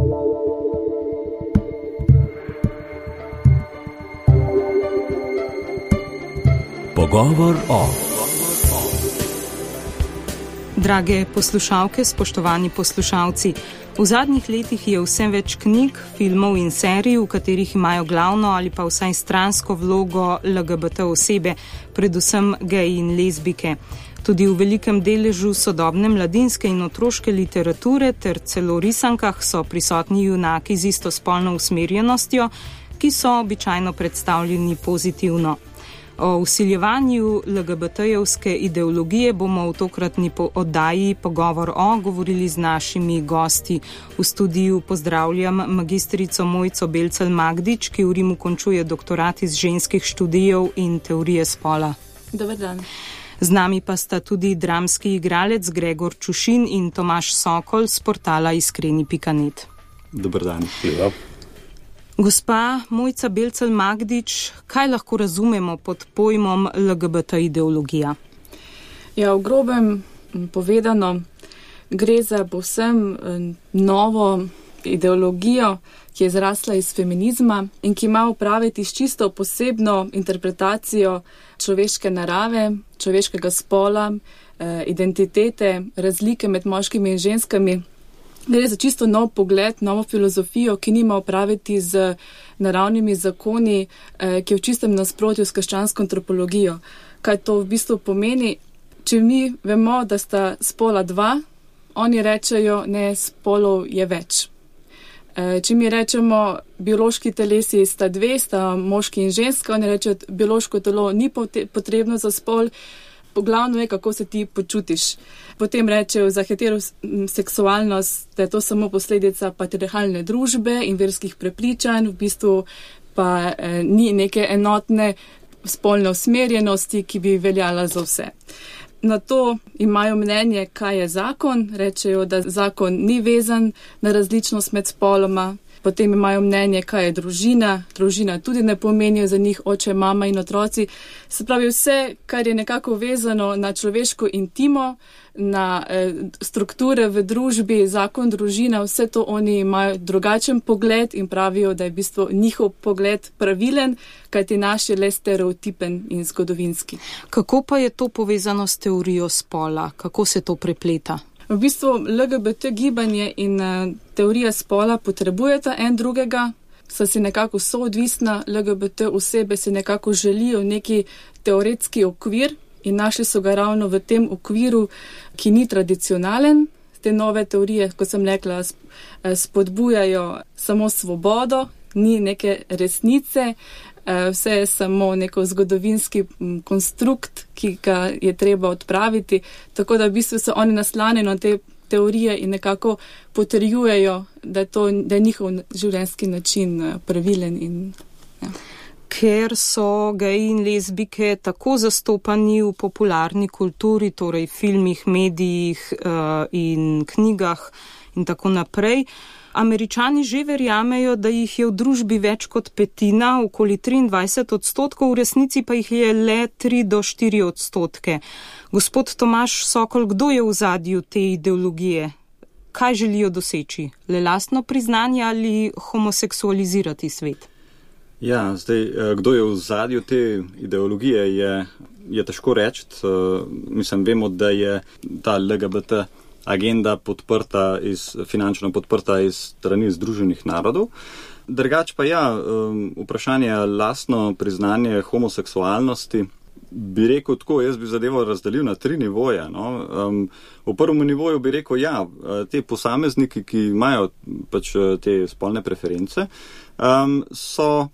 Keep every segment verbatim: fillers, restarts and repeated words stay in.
Pogovor o. Drage poslušalke, spoštovani poslušalci, v zadnjih letih je vse več knjig, filmov in serij, v katerih imajo glavno ali pa vsaj stransko vlogo L G B T osebe, predvsem geji in lezbike. Tudi v velikem deležu sodobne mladinske in otroške literature ter celo risankah so prisotni junaki z istospolno usmerjenostjo, ki so običajno predstavljeni pozitivno. O vsiljevanju L G B T-jevske ideologije bomo v tokratni oddaji Pogovor o govorili z našimi gosti. V studiu pozdravljam magistrico Mojco Belcelj-Magdič, ki v Rimu končuje doktorat iz ženskih študijev in teorije spola. Dober dan. Z nami pa sta tudi dramski igralec Gregor Čušin in Tomaž Sokol z portala iskreni pika net. Dober dan. Hvala. Gospa Mojca Belcelj-Magdič, kaj lahko razumemo pod pojmom L G B T ideologija? Ja, v grobem povedano, gre za povsem novo ideologijo, ki je zrasla iz feminizma in ki ima opraviti s čisto posebno interpretacijo človeške narave, človeškega spola, identitete, razlike med moškimi in ženskami. Gre za čisto nov pogled, novo filozofijo, ki nima opraviti z naravnimi zakoni, ki je v čistem nasprotju s krščansko antropologijo. Kaj to v bistvu pomeni? Če mi vemo, da sta spola dva, oni rečejo, ne, spolov je več. Če mi rečemo, biološki telesi sta dve, sta moški in ženska, oni rečejo, biološko telo ni potrebno za spol, glavno je, kako se ti počutiš. Potem rečejo za heteroseksualnost, da je to samo posledica patriarhalne družbe in verskih prepričanj, v bistvu pa eh, ni neke enotne spolne usmerjenosti, ki bi veljala za vse. Na to imajo mnenje, kaj je zakon, rečejo, da zakon ni vezan na različnost med spoloma. Potem imajo mnenje, kaj je družina. Družina tudi ne pomenijo za njih oče, mama in otroci. Se pravi, vse, kar je nekako vezano na človeško intimo, na eh, strukture v družbi, zakon, družina, vse to oni imajo drugačen pogled in pravijo, da je v bistvu njihov pogled pravilen, kajti naš je le stereotipen in zgodovinski. Kako pa je to povezano s teorijo spola? Kako se to prepleta? V bistvu L G B T gibanje in uh, teorija spola potrebujeta en drugega, so si nekako soodvisna, L G B T osebe si nekako želijo neki teoretski okvir in našli so ga ravno v tem okviru, ki ni tradicionalen. Te nove teorije, kot sem rekla, spodbujajo samo svobodo, ni neke resnice, vse je samo neko zgodovinski konstrukt, ki ga je treba odpraviti, tako da v bistvu so oni naslanjeni na te teorije in nekako potrjujejo, da je, to, da je njihov življenjski način pravilen. In, ja. Ker so geji in lezbike tako zastopani v popularni kulturi, torej filmih, medijih uh, in knjigah in tako naprej, Američani že verjamejo, da jih je v družbi več kot petina, okoli triindvajset odstotkov, v resnici pa jih je le tri do štiri odstotke. Gospod Tomaž Sokol, kdo je v ozadju te ideologije? Kaj želijo doseči? Le lastno priznanje ali homoseksualizirati svet? Ja, zdaj, kdo je v ozadju te ideologije, je, je težko reči. Mislim, vemo, da je ta L G B T agenda podprta iz, finančno podprta iz strani Združenih narodov. Drugač pa ja, vprašanje lastno priznanje homoseksualnosti, bi rekel tako, jaz bi zadevo razdelil na tri nivoje. No. V prvem nivoju bi rekel, ja, te posamezniki, ki imajo pač te spolne preference, so,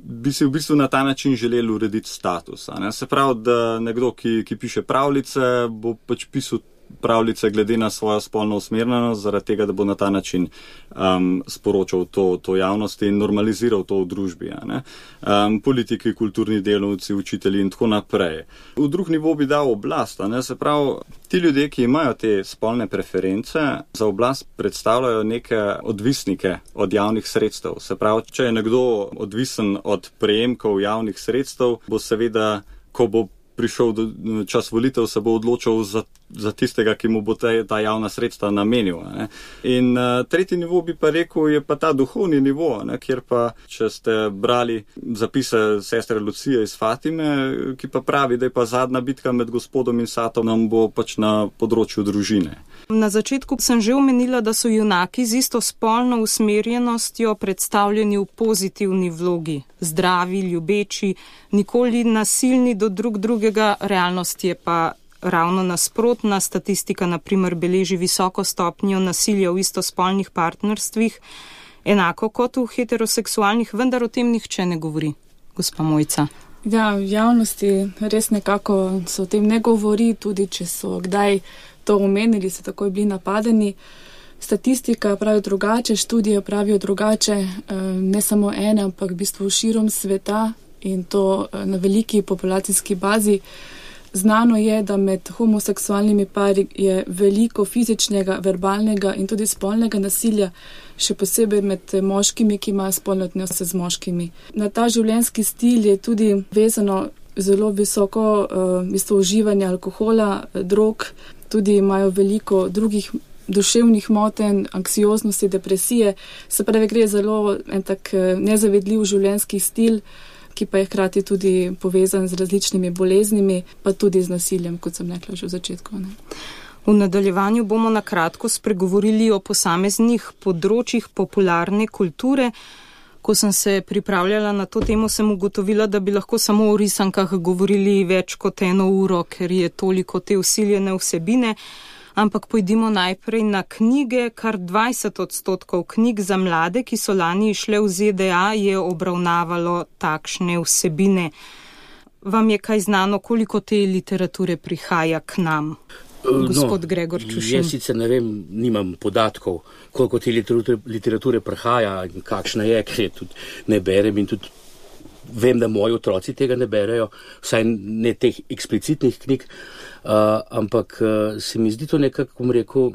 bi si v bistvu na ta način želeli urediti status. Ne. Se pravi, da nekdo, ki, ki piše pravljice, bo pač pisal pravljice glede na svojo spolno usmerjenost, zaradi tega, da bo na ta način um, sporočal to, to javnosti in normaliziral to v družbi. Ne? Um, politiki, kulturni delavci, učitelji in tako naprej. V drug nivo bi dal oblast. Ne? Se pravi, ti ljudje, ki imajo te spolne preference, za oblast predstavljajo neke odvisnike od javnih sredstev. Se pravi, če je nekdo odvisen od prejemkov javnih sredstev, bo seveda, ko bo prišel do čas volitev, se bo odločil za za tistega, ki mu bo ta, ta javna sredstva namenil. Ne. In uh, tretji nivo bi pa rekel, je pa ta duhovni nivo, ne, kjer pa, če ste brali zapise sestre Lucije iz Fatime, ki pa pravi, da je pa zadnja bitka med Gospodom in Satanom bo pač na področju družine. Na začetku sem že omenila, da so junaki z istospolno usmerjenostjo predstavljeni v pozitivni vlogi. Zdravi, ljubeči, nikoli nasilni do drug drugega, realnost je pa ravno nasprotna. Statistika na primer beleži visoko stopnjo nasilja v istospolnih partnerstvih, enako kot v heteroseksualnih, vendar o tem nihče ne govori. Gospa Mojca. Ja, v javnosti res nekako se o tem ne govori, tudi če so kdaj to omenili, so takoj bili napadeni. Statistika pravi drugače, študije pravijo drugače, ne samo ene, ampak v bistvu širom sveta in to na veliki populacijski bazi. Znano je, da med homoseksualnimi pari je veliko fizičnega, verbalnega in tudi spolnega nasilja, še posebej med moškimi, ki imajo spolne odnose z moškimi. Na ta življenjski stil je tudi vezano zelo visoko uh, v bistvu uživanje alkohola, drog, tudi imajo veliko drugih duševnih motenj, anksioznosti, depresije. Se pravi, gre zelo en tak nezavedljiv življenjski stil, ki pa je hkrati tudi povezan z različnimi boleznimi, pa tudi z nasiljem, kot sem rekla že v začetku. Ne? V nadaljevanju bomo na kratko spregovorili o posameznih področjih popularne kulture. Ko sem se pripravljala na to temo, sem ugotovila, da bi lahko samo o risankah govorili več kot eno uro, ker je toliko te vsiljene vsebine. Ampak pojdimo najprej na knjige. Kar dvajset odstotkov knjig za mlade, ki so lani išle v Z D A, je obravnavalo takšne vsebine. Vam je kaj znano, koliko te literature prihaja k nam? Gospod no, Gregor Čušin. Jaz sicer ne vem, nimam podatkov, koliko te literature, literature prihaja in kakšna je, ker je tudi ne berem in tudi vem, da moji otroci tega ne berejo, vsaj ne teh eksplicitnih knjig, uh, ampak uh, se mi zdi to nekako, bom rekel,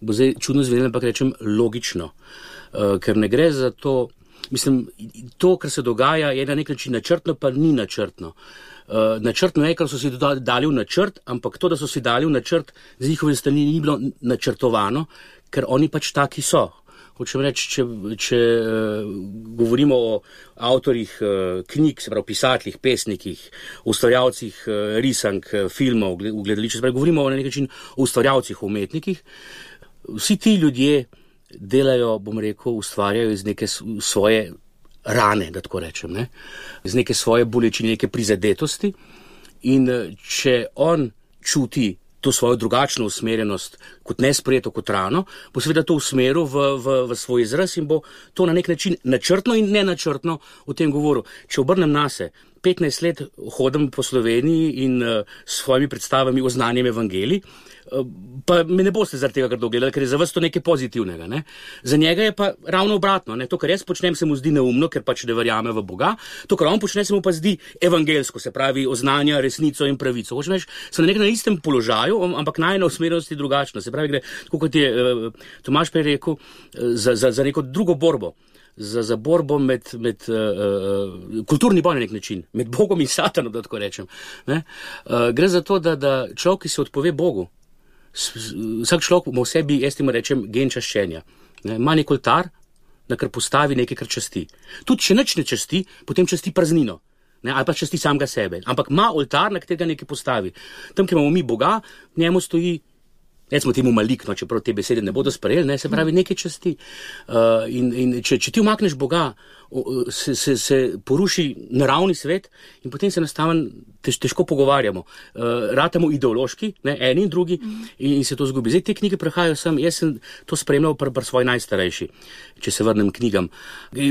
bo zdaj čudno zvenelo, ampak rečem logično, uh, ker ne gre za to, mislim, to, kar se dogaja, je na nek način načrtno, pa ni načrtno. Uh, načrtno je, kar so si dali v načrt, ampak to, da so si dali v načrt, z njihovim strani ni bilo načrtovano, ker oni pač taki so. Hočem reči, če, če uh, govorimo o avtorjih uh, knjig, se pravi pisateljih, pesnikih, ustvarjalcih uh, risank, uh, filmov, v gledališču, se pravi, govorimo na nek način o ustvarjalcih, o umetnikih, vsi ti ljudje delajo, bom rekel, ustvarjajo iz neke svoje rane, da tako rečem, ne? Z neke svoje bolečine, neke prizadetosti in če on čuti to svojo drugačno usmerjenost kot nesprejeto, kot rano, bo seveda to usmeril v, v, v svoj izraz in bo to na nek način načrtno in nenačrtno o tem govoril. Če obrnem nase, petnajst let hodim po Sloveniji in uh, s svojimi predstavami o znanjem evangelij, uh, pa me ne boste zaradi tega grdo gledali, ker je za vas to nekaj pozitivnega. Ne? Za njega je pa ravno obratno. Ne? To, kar jaz počnem, se mu zdi neumno, ker pač ne verjame v Boga. To, kar on počne, se mu pa zdi evangelsko, se pravi oznanja resnico in pravico. Hočem reči, so na na istem položaju, ampak najina usmerjenost je drugačna. Se pravi, gre, tako kot je uh, Tomaž prej rekel, uh, za, za, za neko drugo borbo. Za, za borbo med, med uh, uh, kulturni boj na nek način, med Bogom in Satanom, da tako rečem. Ne? Uh, gre za to, da, da človek, ki se odpove Bogu, s, vsak človek ima v sebi, jaz temu rečem, gen čaščenja. Ne? Ima nek oltar, na kar postavi nekaj, kar časti. Tudi če nič ne časti, potem časti praznino. Ne? Ali pa časti samega sebe. Ampak ima oltar, na katerega nekaj postavi. Tam, kjer imamo mi Boga, njemu stoji, recimo temu malikno, čeprav te besede ne bodo sprejeli, ne, se pravi nekaj časti. Uh, in in če, če ti umakneš Boga, se, se, se poruši naravni svet in potem se enostavno tež, težko pogovarjamo. Uh, ratamo ideološki, ne, eni in drugi, mm. in, in se to zgubi. Zdaj te knjige prihajajo sem, jaz sem to spremljal pri pr svoji najstarejši, če se vrnem knjigam.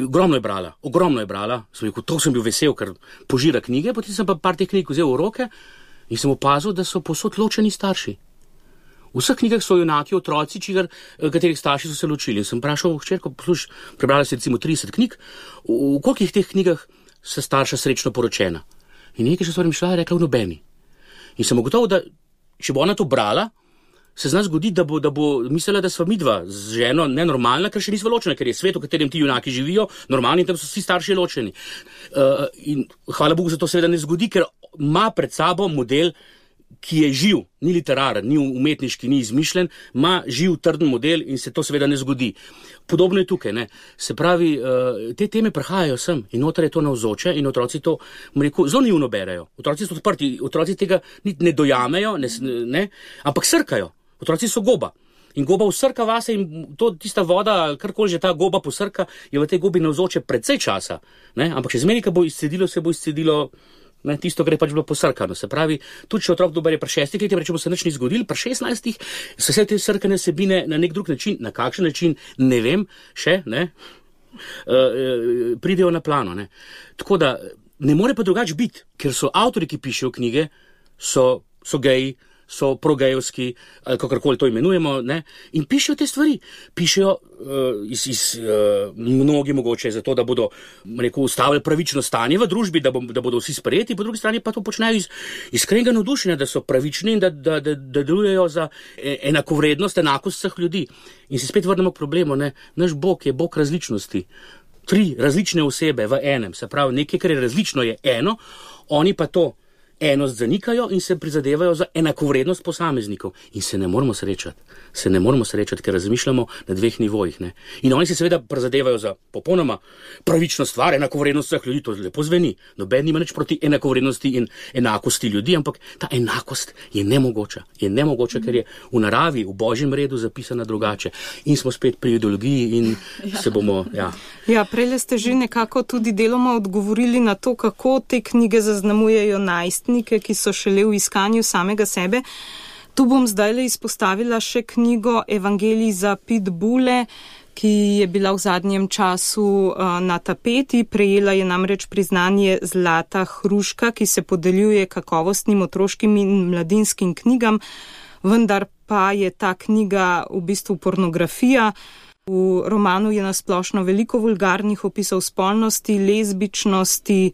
Ogromno je brala, ogromno je brala, sem rekel, to sem bil vesel, ker požira knjige, potem sem pa par teh knjig vzel v roke in sem opazil, da so povsod ločeni starši. V vseh knjigah so junaki, otroci, čigar, katerih starši so se ločili. In sem vprašal hčerko, posluš, prebrala si recimo trideset knjig, v kolikih teh knjigah so starša srečno poročena. In nekaj še stvari mi šla, je rekla v nobeni. In sem ugotovil, da če bo ona to brala, se z nas zgodi, da bo, da bo mislila, da sva midva z ženo nenormalna, ker še nisva ločena, ker je svet, v katerem ti junaki živijo, normalni in tam so vsi starši ločeni. Uh, in hvala Bogu za to seveda ne zgodi, ker ima pred sabo model ki je živ, ni literaren, ni umetniški, ni izmišljen, ima živ trden model in se to seveda ne zgodi. Podobno je tukaj, ne. Se pravi, te teme prihajajo sem in noter je to navzoče in otroci to, rekel, zelo naivno berejo. Otroci so odprti, otroci tega ne dojamejo, ne, ne, ampak srkajo. Otroci so goba. In goba usrka vase in to tista voda, karkoli že ta goba posrka, je v tej gobi navzoče precej časa. Ne. Ampak še zmeraj, ko bo izcedilo, se bo izcedilo Ne, tisto, kar je pač bilo posrkano. Se pravi, tudi če otrok dober je pri šestih letih, rečemo se nič ni zgodil, pri šestnajstih so vse te srkane sebine na nek drug način, na kakšen način, ne vem, še, ne, uh, uh, pridejo na plano, ne. Tako da, ne more pa drugače biti, ker so avtori, ki pišejo knjige, so, so geji, so progejovski, ali kakorkoli to imenujemo, ne, in pišejo te stvari. Pišejo uh, iz, iz uh, mnogi mogoče zato, da bodo, rekel, ustavili pravično stanje v družbi, da, bo, da bodo vsi sprejeti, po drugi strani pa to počnejo iz iskrenega navdušenja, da so pravični in da, da, da, da delujejo za enakovrednost, enakost vseh ljudi. In se spet vrnemo k problemu, ne, naš Bog je Bog različnosti. Tri različne osebe v enem, se pravi, nekaj, kar je različno, je eno, oni pa to enost zanikajo in se prizadevajo za enakovrednost posameznikov. In se ne moramo srečati. Se ne moramo srečati, ker razmišljamo na dveh nivojih. Ne? In oni se seveda prizadevajo za popolnoma pravično stvar, enakovrednost vseh ljudi. To lepo zveni. Noben nima nič proti enakovrednosti in enakosti ljudi, ampak ta enakost je nemogoča. Je nemogoča, ker je v naravi, v božjem redu zapisana drugače. In smo spet pri ideologiji in ja. se bomo... Ja, ja prej ste že nekako tudi deloma odgovorili na to, kako te knjige zaznamujejo najstnike, ki so šele v iskanju samega sebe. Tu bom zdajle izpostavila še knjigo Evangelij za pitbule, ki je bila v zadnjem času uh, na tapeti. Prejela je namreč priznanje Zlata hruška, ki se podeljuje kakovostnim otroškim in mladinskim knjigam, vendar pa je ta knjiga v bistvu pornografija. V romanu je nasplošno veliko vulgarnih opisov spolnosti, lezbičnosti,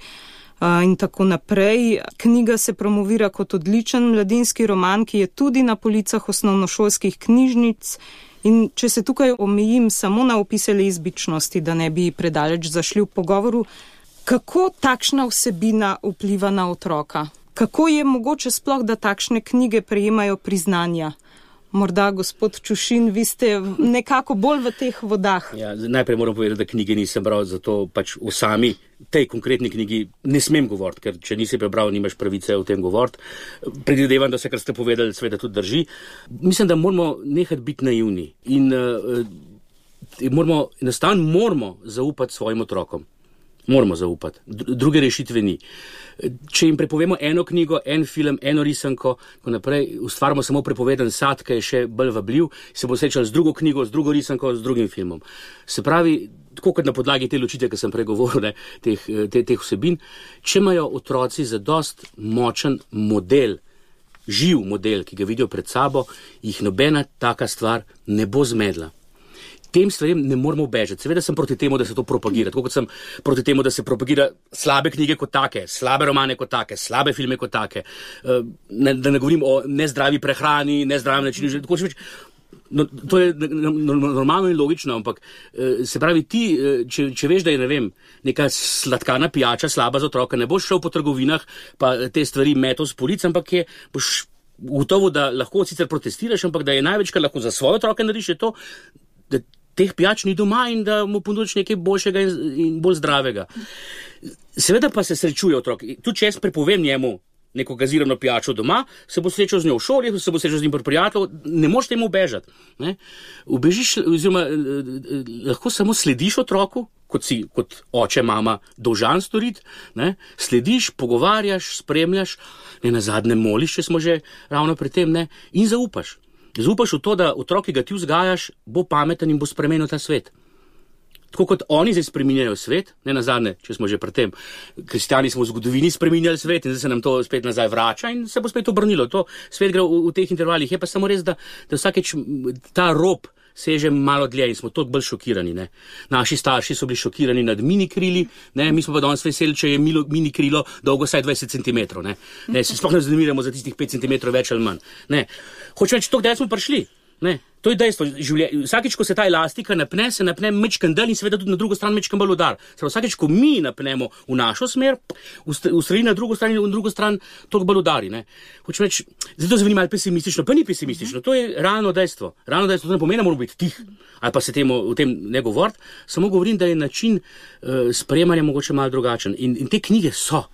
in tako naprej. Knjiga se promovira kot odličen mladinski roman, ki je tudi na policah osnovnošolskih knjižnic. In če se tukaj omejim samo na opise lezbičnosti, da ne bi predaleč zašli v pogovoru, kako takšna vsebina vpliva na otroka? Kako je mogoče sploh, da takšne knjige prejemajo priznanja? Morda, gospod Čušin, vi ste nekako bolj v teh vodah. Ja, najprej moram povedati, da knjige nisem bral, zato pač v sami tej konkretni knjigi ne smem govoriti, ker če nisi prebral, nimaš pravice o tem govoriti. Predvidevam, da se, kar ste povedali, seveda tudi drži. Mislim, da moramo nehati biti naivni in uh, moramo, enostavno moramo zaupati svojim otrokom. Moramo zaupati. Druge rešitve ni. Če jim prepovemo eno knjigo, en film, eno risanko, ko naprej ustvarimo samo prepoveden sad, ki je še bolj vabljiv, se bo srečal z drugo knjigo, z drugo risanko, z drugim filmom. Se pravi, tako kot na podlagi te ločitve, ki sem prej govoril, ne, teh, te, teh vsebin, če imajo otroci zadost močen model, živ model, ki ga vidijo pred sabo, jih nobena taka stvar ne bo zmedla. Tem stvarem ne moramo bežati. Seveda sem proti temu, da se to propagira. Tako kot sem proti temu, da se propagira slabe knjige kot take, slabe romane kot take, slabe filme kot take. Ne, da ne govorim o nezdravi prehrani, nezdravem načinu življenja. No, to je normalno in logično, ampak se pravi ti, če, če veš, da je, ne vem, neka sladkana pijača slaba za otroka, ne boš šel po trgovinah, pa te stvari metal s polic, ampak je, boš gotovo, da lahko sicer protestiraš, ampak da je največ, kar lahko za svoje otroke narediš, je to, da teh pijač ni doma in da mu ponudiš nekaj boljšega in, in bolj zdravega. Seveda pa se srečuje otrok. Tudi če jaz prepovem njemu neko gazirano pijačo doma, se bo srečal z njo v šoli, se bo srečal z njim pri prijatelju, ne moreš temu bežati. Ne? Ubežiš, oziroma lahko samo slediš otroku, kot si kot oče, mama dolžan storiti, ne? Slediš, pogovarjaš, spremljaš, ne nazadnje moliš, če smo že ravno pri tem, ne? In zaupaš. Zaupaš v to, da otrok, ki ga ti vzgajaš, bo pameten in bo spremenil ta svet. Tako kot oni zdaj spreminjajo svet, ne nazadnje, če smo že pri tem, kristjani smo v zgodovini spreminjali svet in zdaj se nam to spet nazaj vrača in se bo spet obrnilo. To svet gre v, v teh intervalih. Je pa samo res, da, da vsakeč ta rob seže malo dlje in smo toliko bolj šokirani. Ne. Naši starši so bili šokirani nad mini krili, ne. Mi smo pa danes veseli, če je milo, mini krilo dolgo saj dvajset centimetrov. Ne. Ne, se sploh ne zanimiramo za tistih pet centimetrov več ali manj. Ne. Hočem reči, to, kdaj smo prišli. Ne. To je dejstvo. Vsakič, ko se ta elastika napne, se napne mečkan del in seveda tudi na drugo stran mečkan bolj udar. Vsakič, ko mi napnemo v našo smer, ustreli na drugo stran in v drugo stran toliko bolj udari. Hočem reči, zdaj to zveni malo pesimistično, pa ni pesimistično. To je realno dejstvo. Realno dejstvo, to ne pomeni, da moramo biti tih ali pa se temu, o tem ne govoriti. Samo govorim, da je način uh, sprejemanja mogoče malo drugačen. In, in te knjige so.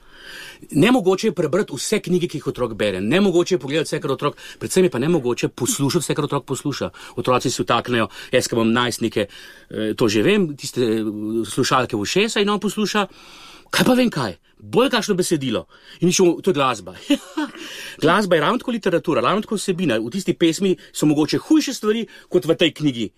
Nemogoče je prebrati vse knjige, ki jih otrok bere, nemogoče je pogledati vse, kar otrok, predvsem je pa nemogoče poslušati vse, kar otrok posluša. Otroci si vtaknejo, jaz, ki imam najstnike, to že vem, tiste slušalke v ušesa in on posluša, kaj pa vem kaj, bolj kakšno besedilo. In mišljamo, to je glasba. Glasba je ravno tako literatura, ravno tako vsebina. V tisti pesmi so mogoče hujše stvari, kot v tej knjigi.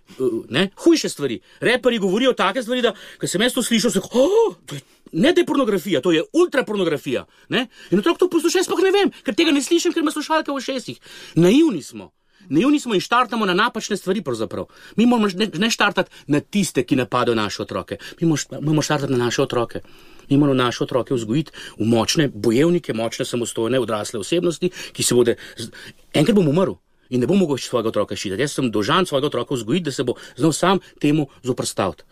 Ne? Hujše stvari. Reperi govorijo take stvari, da, ko sem jaz to slišal, se oh, to je ne da je pornografija, to je ultrapornografija. Ne? In otrok to posluša, jaz sploh ne vem, ker tega ne slišim, ker ima slušalke v ušesih. Naivni smo. Naivni smo in štartamo na napačne stvari pravzaprav. Mi moramo ne, ne štartati na tiste, ki napadajo naše otroke. Mi moramo štartati na naše otroke. Mi moramo naše otroke vzgojiti v močne bojevnike, močne samostojne odrasle osebnosti, ki se bodo... Enkrat bom umrl in ne bom mogel svojega otroka ščititi. Jaz sem dolžan svojega otroka vzgojiti, da se bo znal sam temu zoprstaviti.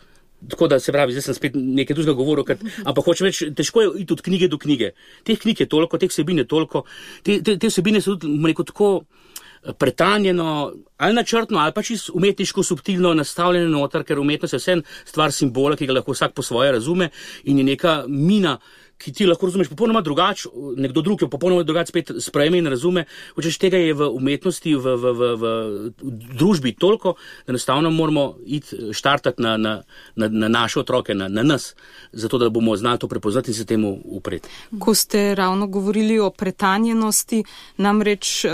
Tako da se pravi, zdaj sem spet nekaj drugega govoril, ker, ampak hočem reči, težko je iti od knjige do knjige. Teh knjig je toliko, teh vsebin je toliko, te, te, te vsebine so tudi, rekel, tako pretanjeno, ali načrtno, ali pa čisto umetniško, subtilno nastavljene noter, ker umetnost je vse stvar simbola, ki ga lahko vsak po svoje razume in je neka mina, ki ti lahko razumeš popolnoma drugače, nekdo drug jo popolnoma drugače spet sprejme in razume. Hočeš, tega je v umetnosti, v, v, v, v, v družbi toliko, da enostavno moramo iti štartati na, na, na, na naše otroke, na, na nas, zato da bomo znali to prepoznati in se temu upreti. Ko ste ravno govorili o pretanjenosti, namreč uh,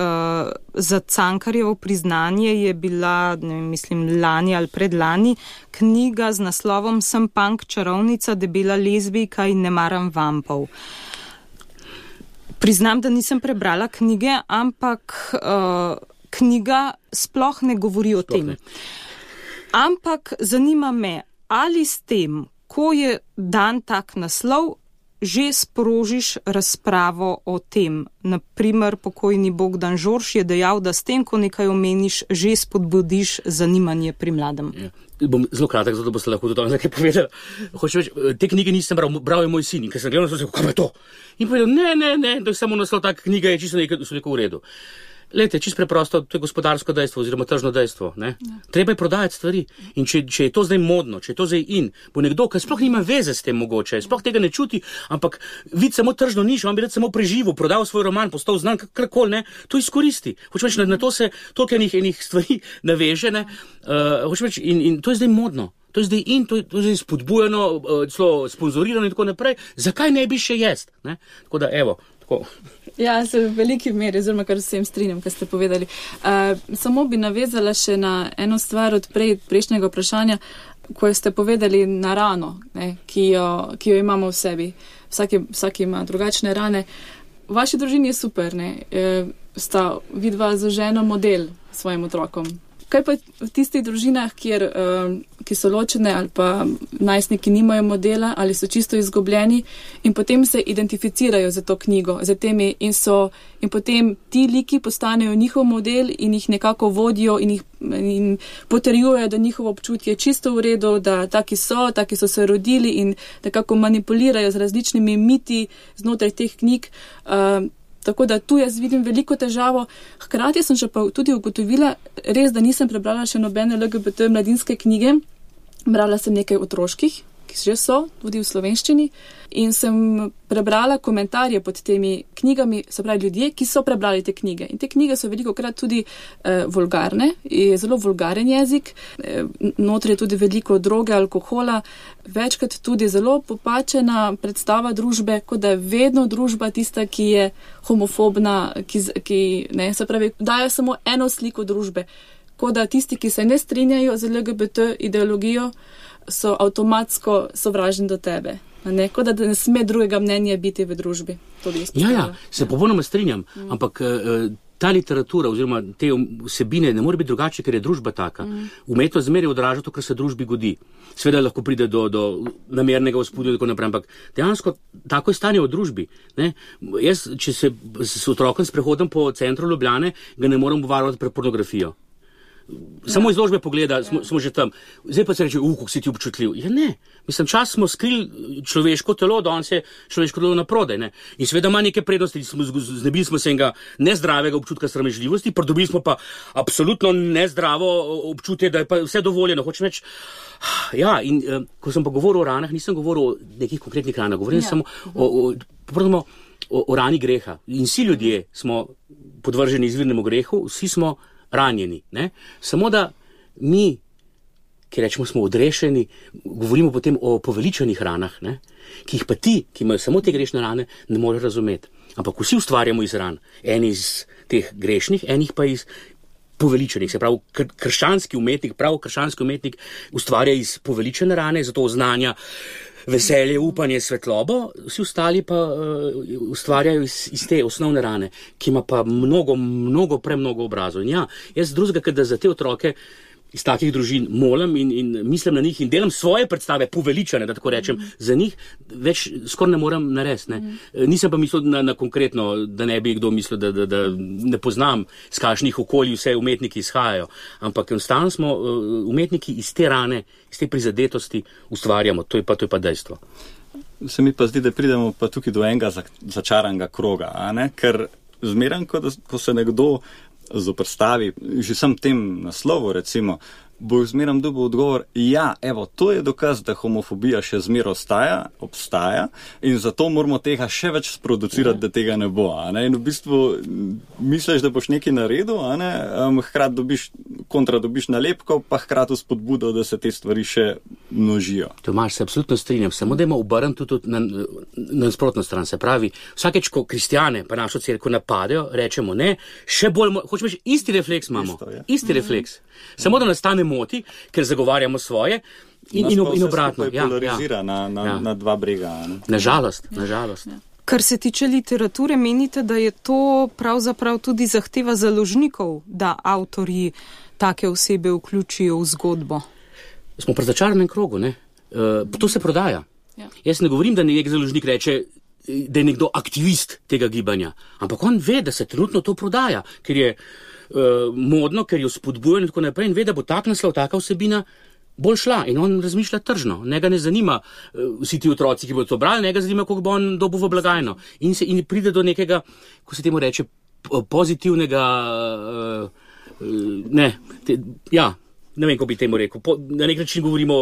za Cankarjevo priznanje je bila, ne vem, mislim, lani ali predlani, knjiga z naslovom Sem punk čarovnica, debela lezbijka in ne maram vampov. Priznam, da nisem prebrala knjige, ampak uh, knjiga sploh ne govori o tem. Ampak zanima me, ali s tem, ko je dan tak naslov, že sprožiš razpravo o tem. Naprimer, pokojni Bogdan Žorž je dejal, da s tem, ko nekaj omeniš, že spodbudiš zanimanje pri mladem. Ja. Bom zelo kratek, zato boste lahko tudi nekaj povedali. Hočem reči, te knjige nisem bral, bral je moj sin in ker sem gledal, sem rekel, kaj je to? In povedal, ne, ne, ne, to je samo naslov, ta knjiga je čisto nekaj, so nekaj v redu. Lejte, čisto preprosto, to je gospodarsko dejstvo oziroma tržno dejstvo. Ne? Ja. Treba je prodajati stvari. In če, če je to zdaj modno, če je to zdaj in, bo nekdo, ki sploh nima veze s tem mogoče, sploh tega ne čuti, ampak vidi samo tržno nišo, on bi rad samo preživel, prodal svoj roman, postal znan, karkoli, ne, to izkoristi. Hočem reči, na, na to se toliko enih, enih stvari naveže, ne, uh, hočem reči, in, in to je zdaj modno. To je zdaj in, to je, to je zdaj spodbujano, uh, celo sponzorirano in tako naprej. Zakaj ne bi še jest? Ne? Tako da, evo, tako. Ja, se v veliki meri, oziroma kar vsem strinjam, kar ste povedali. Uh, samo bi navezala še na eno stvar od prej, prejšnjega vprašanja, ko ste povedali na rano, ne, ki, jo, ki jo imamo v sebi. Vsaki, vsaki ima drugačne rane. V vaši družini je super, ne, e, sta vidva za ženo model svojim otrokom. Kaj pa v tistih družinah, kjer, uh, ki so ločene ali pa najstniki nimajo modela ali so čisto izgubljeni in potem se identificirajo za to knjigo, za temi in so in potem ti liki postanejo njihov model in jih nekako vodijo in jih in potrjujejo, da njihovo občutje je čisto v redu, da taki so, taki so se rodili in nekako manipulirajo z različnimi miti znotraj teh knjig. Uh, Tako da tu jaz vidim veliko težavo. Hkrati sem še pa tudi ugotovila, res, da nisem prebrala še nobene L G B T mladinske knjige. Brala sem nekaj otroških, ki že so, tudi v slovenščini. In sem prebrala komentarje pod temi knjigami, se pravi ljudje, ki so prebrali te knjige. In te knjige so veliko krat tudi eh, vulgarne, je zelo vulgaren jezik, eh, notri je tudi veliko droge, alkohola, večkrat tudi zelo popačena predstava družbe, kot da je vedno družba tista, ki je homofobna, ki, ki ne, se pravi, daje samo eno sliko družbe. Kot da tisti, ki se ne strinjajo z L G B T ideologijo, so avtomatsko sovražni do tebe. Ne, kot da ne sme drugega mnenja biti v družbi. Ja, ja, se popolnoma strinjam, mm. ampak uh, ta literatura oziroma te vsebine ne more biti drugače, ker je družba taka. Mm. Umetnost zmeraj odraža to, kar se družbi godi. Sveda lahko pride do, do namernega vzpodja in tako naprej, ampak dejansko tako je stanje v družbi. Ne? Jaz, če se s otrokom sprehodim po centru Ljubljane, ga ne morem varovati pred pornografijo. samo izložbe pogleda, smo, smo že tam. Zdaj pa se reče, uh, kako si ti občutljiv. Ja, ne. Mislim, čas smo skrili človeško telo, danes je človeško telo na prodaj, ne. In seveda ima neke prednosti, smo, znebili smo se enega nezdravega občutka sramežljivosti, pridobili smo pa absolutno nezdravo občutje, da je pa vse dovoljeno. Hočem reči, ja, in uh, ko sem pa govoril o ranah, nisem govoril o nekih konkretnih ranah, govorim ja. samo o, o, o, o, o rani greha. In vsi ljudje smo podvrženi izvirnemu grehu, vsi smo ranjeni, ne? Samo da mi, ki rečemo, smo odrešeni, govorimo potem o poveličanih ranah, ne? Ki jih pa ti, ki imajo samo te grešne rane, ne morejo razumeti. Ampak vsi ustvarjamo iz ran, eni iz teh grešnih, enih pa iz poveličanih. Se pravi, kr- krščanski umetnik, prav krščanski umetnik ustvarja iz poveličane rane, zato oznanja veselje, upanje, svetlobo, vsi ostali pa uh, ustvarjajo iz, iz te osnovne rane, ki ima pa mnogo, mnogo, premnogo obrazov. In ja, jaz drugega, kad da za te otroke iz takih družin molim in, in mislim na njih in delam svoje predstave, poveličane, da tako rečem, mm. za njih več skoraj ne morem narediti. Ne. Mm. Nisem pa mislil na, na konkretno, da ne bi kdo mislil, da, da, da ne poznam, z kakšnih okolij vse umetniki izhajajo, ampak enostavno smo umetniki iz te rane, iz te prizadetosti ustvarjamo, to je pa, to je pa dejstvo. Se mi pa zdi, da pridemo pa tukaj do enega začaranega kroga, a ne? Ker zmeram, ko, da, ko se nekdo zoprstavi, že sam tem naslovu, recimo, bo zmeram dobil odgovor, ja, evo, to je dokaz, da homofobija še zmer ostaja, obstaja in zato moramo tega še več sproducirati, ja. Da tega ne bo, a ne? In v bistvu misliš, da boš nekaj naredil, a ne? Um, hkrati dobiš, kontra dobiš nalepko, pa hkrati spodbudo, da se te stvari še množijo. Tomaž, se absolutno strinjam, samo da ima obrn tudi na, na nasprotno stran, se pravi, vsakeč, ko kristjane pa našo cerkev napadejo, rečemo ne, še bolj, hočemo reči, isti refleks imamo, Isto, ja. isti mm-hmm. refleks, samo da nastane moti, ker zagovarjamo svoje in, in, in obratno. Ja, polarizira ja. na, na, ja. na dva brega. Ne? Nažalost, nažalost. Ja. Kar se tiče literature, menite, da je to pravzaprav tudi zahteva založnikov, da avtorji take osebe vključijo v zgodbo? Smo pri začaranem krogu, ne? Uh, to se prodaja. Ja. Jaz ne govorim, da nek založnik reče, da je nekdo aktivist tega gibanja, ampak on ve, da se trenutno to prodaja, ker je uh, modno, ker jo spodbuja in tako naprej in ve, da bo tak naslov, taka vsebina bolj šla in on razmišlja tržno. Njega ne zanima uh, vsi ti otroci, ki bodo to brali, njega zanima, koliko bo on dobil v blagajno. In, se, in pride do nekega, ko se temu reče, pozitivnega, uh, uh, ne, te, ja, ne vem, ko bi temu rekel, po, na nek način govorimo,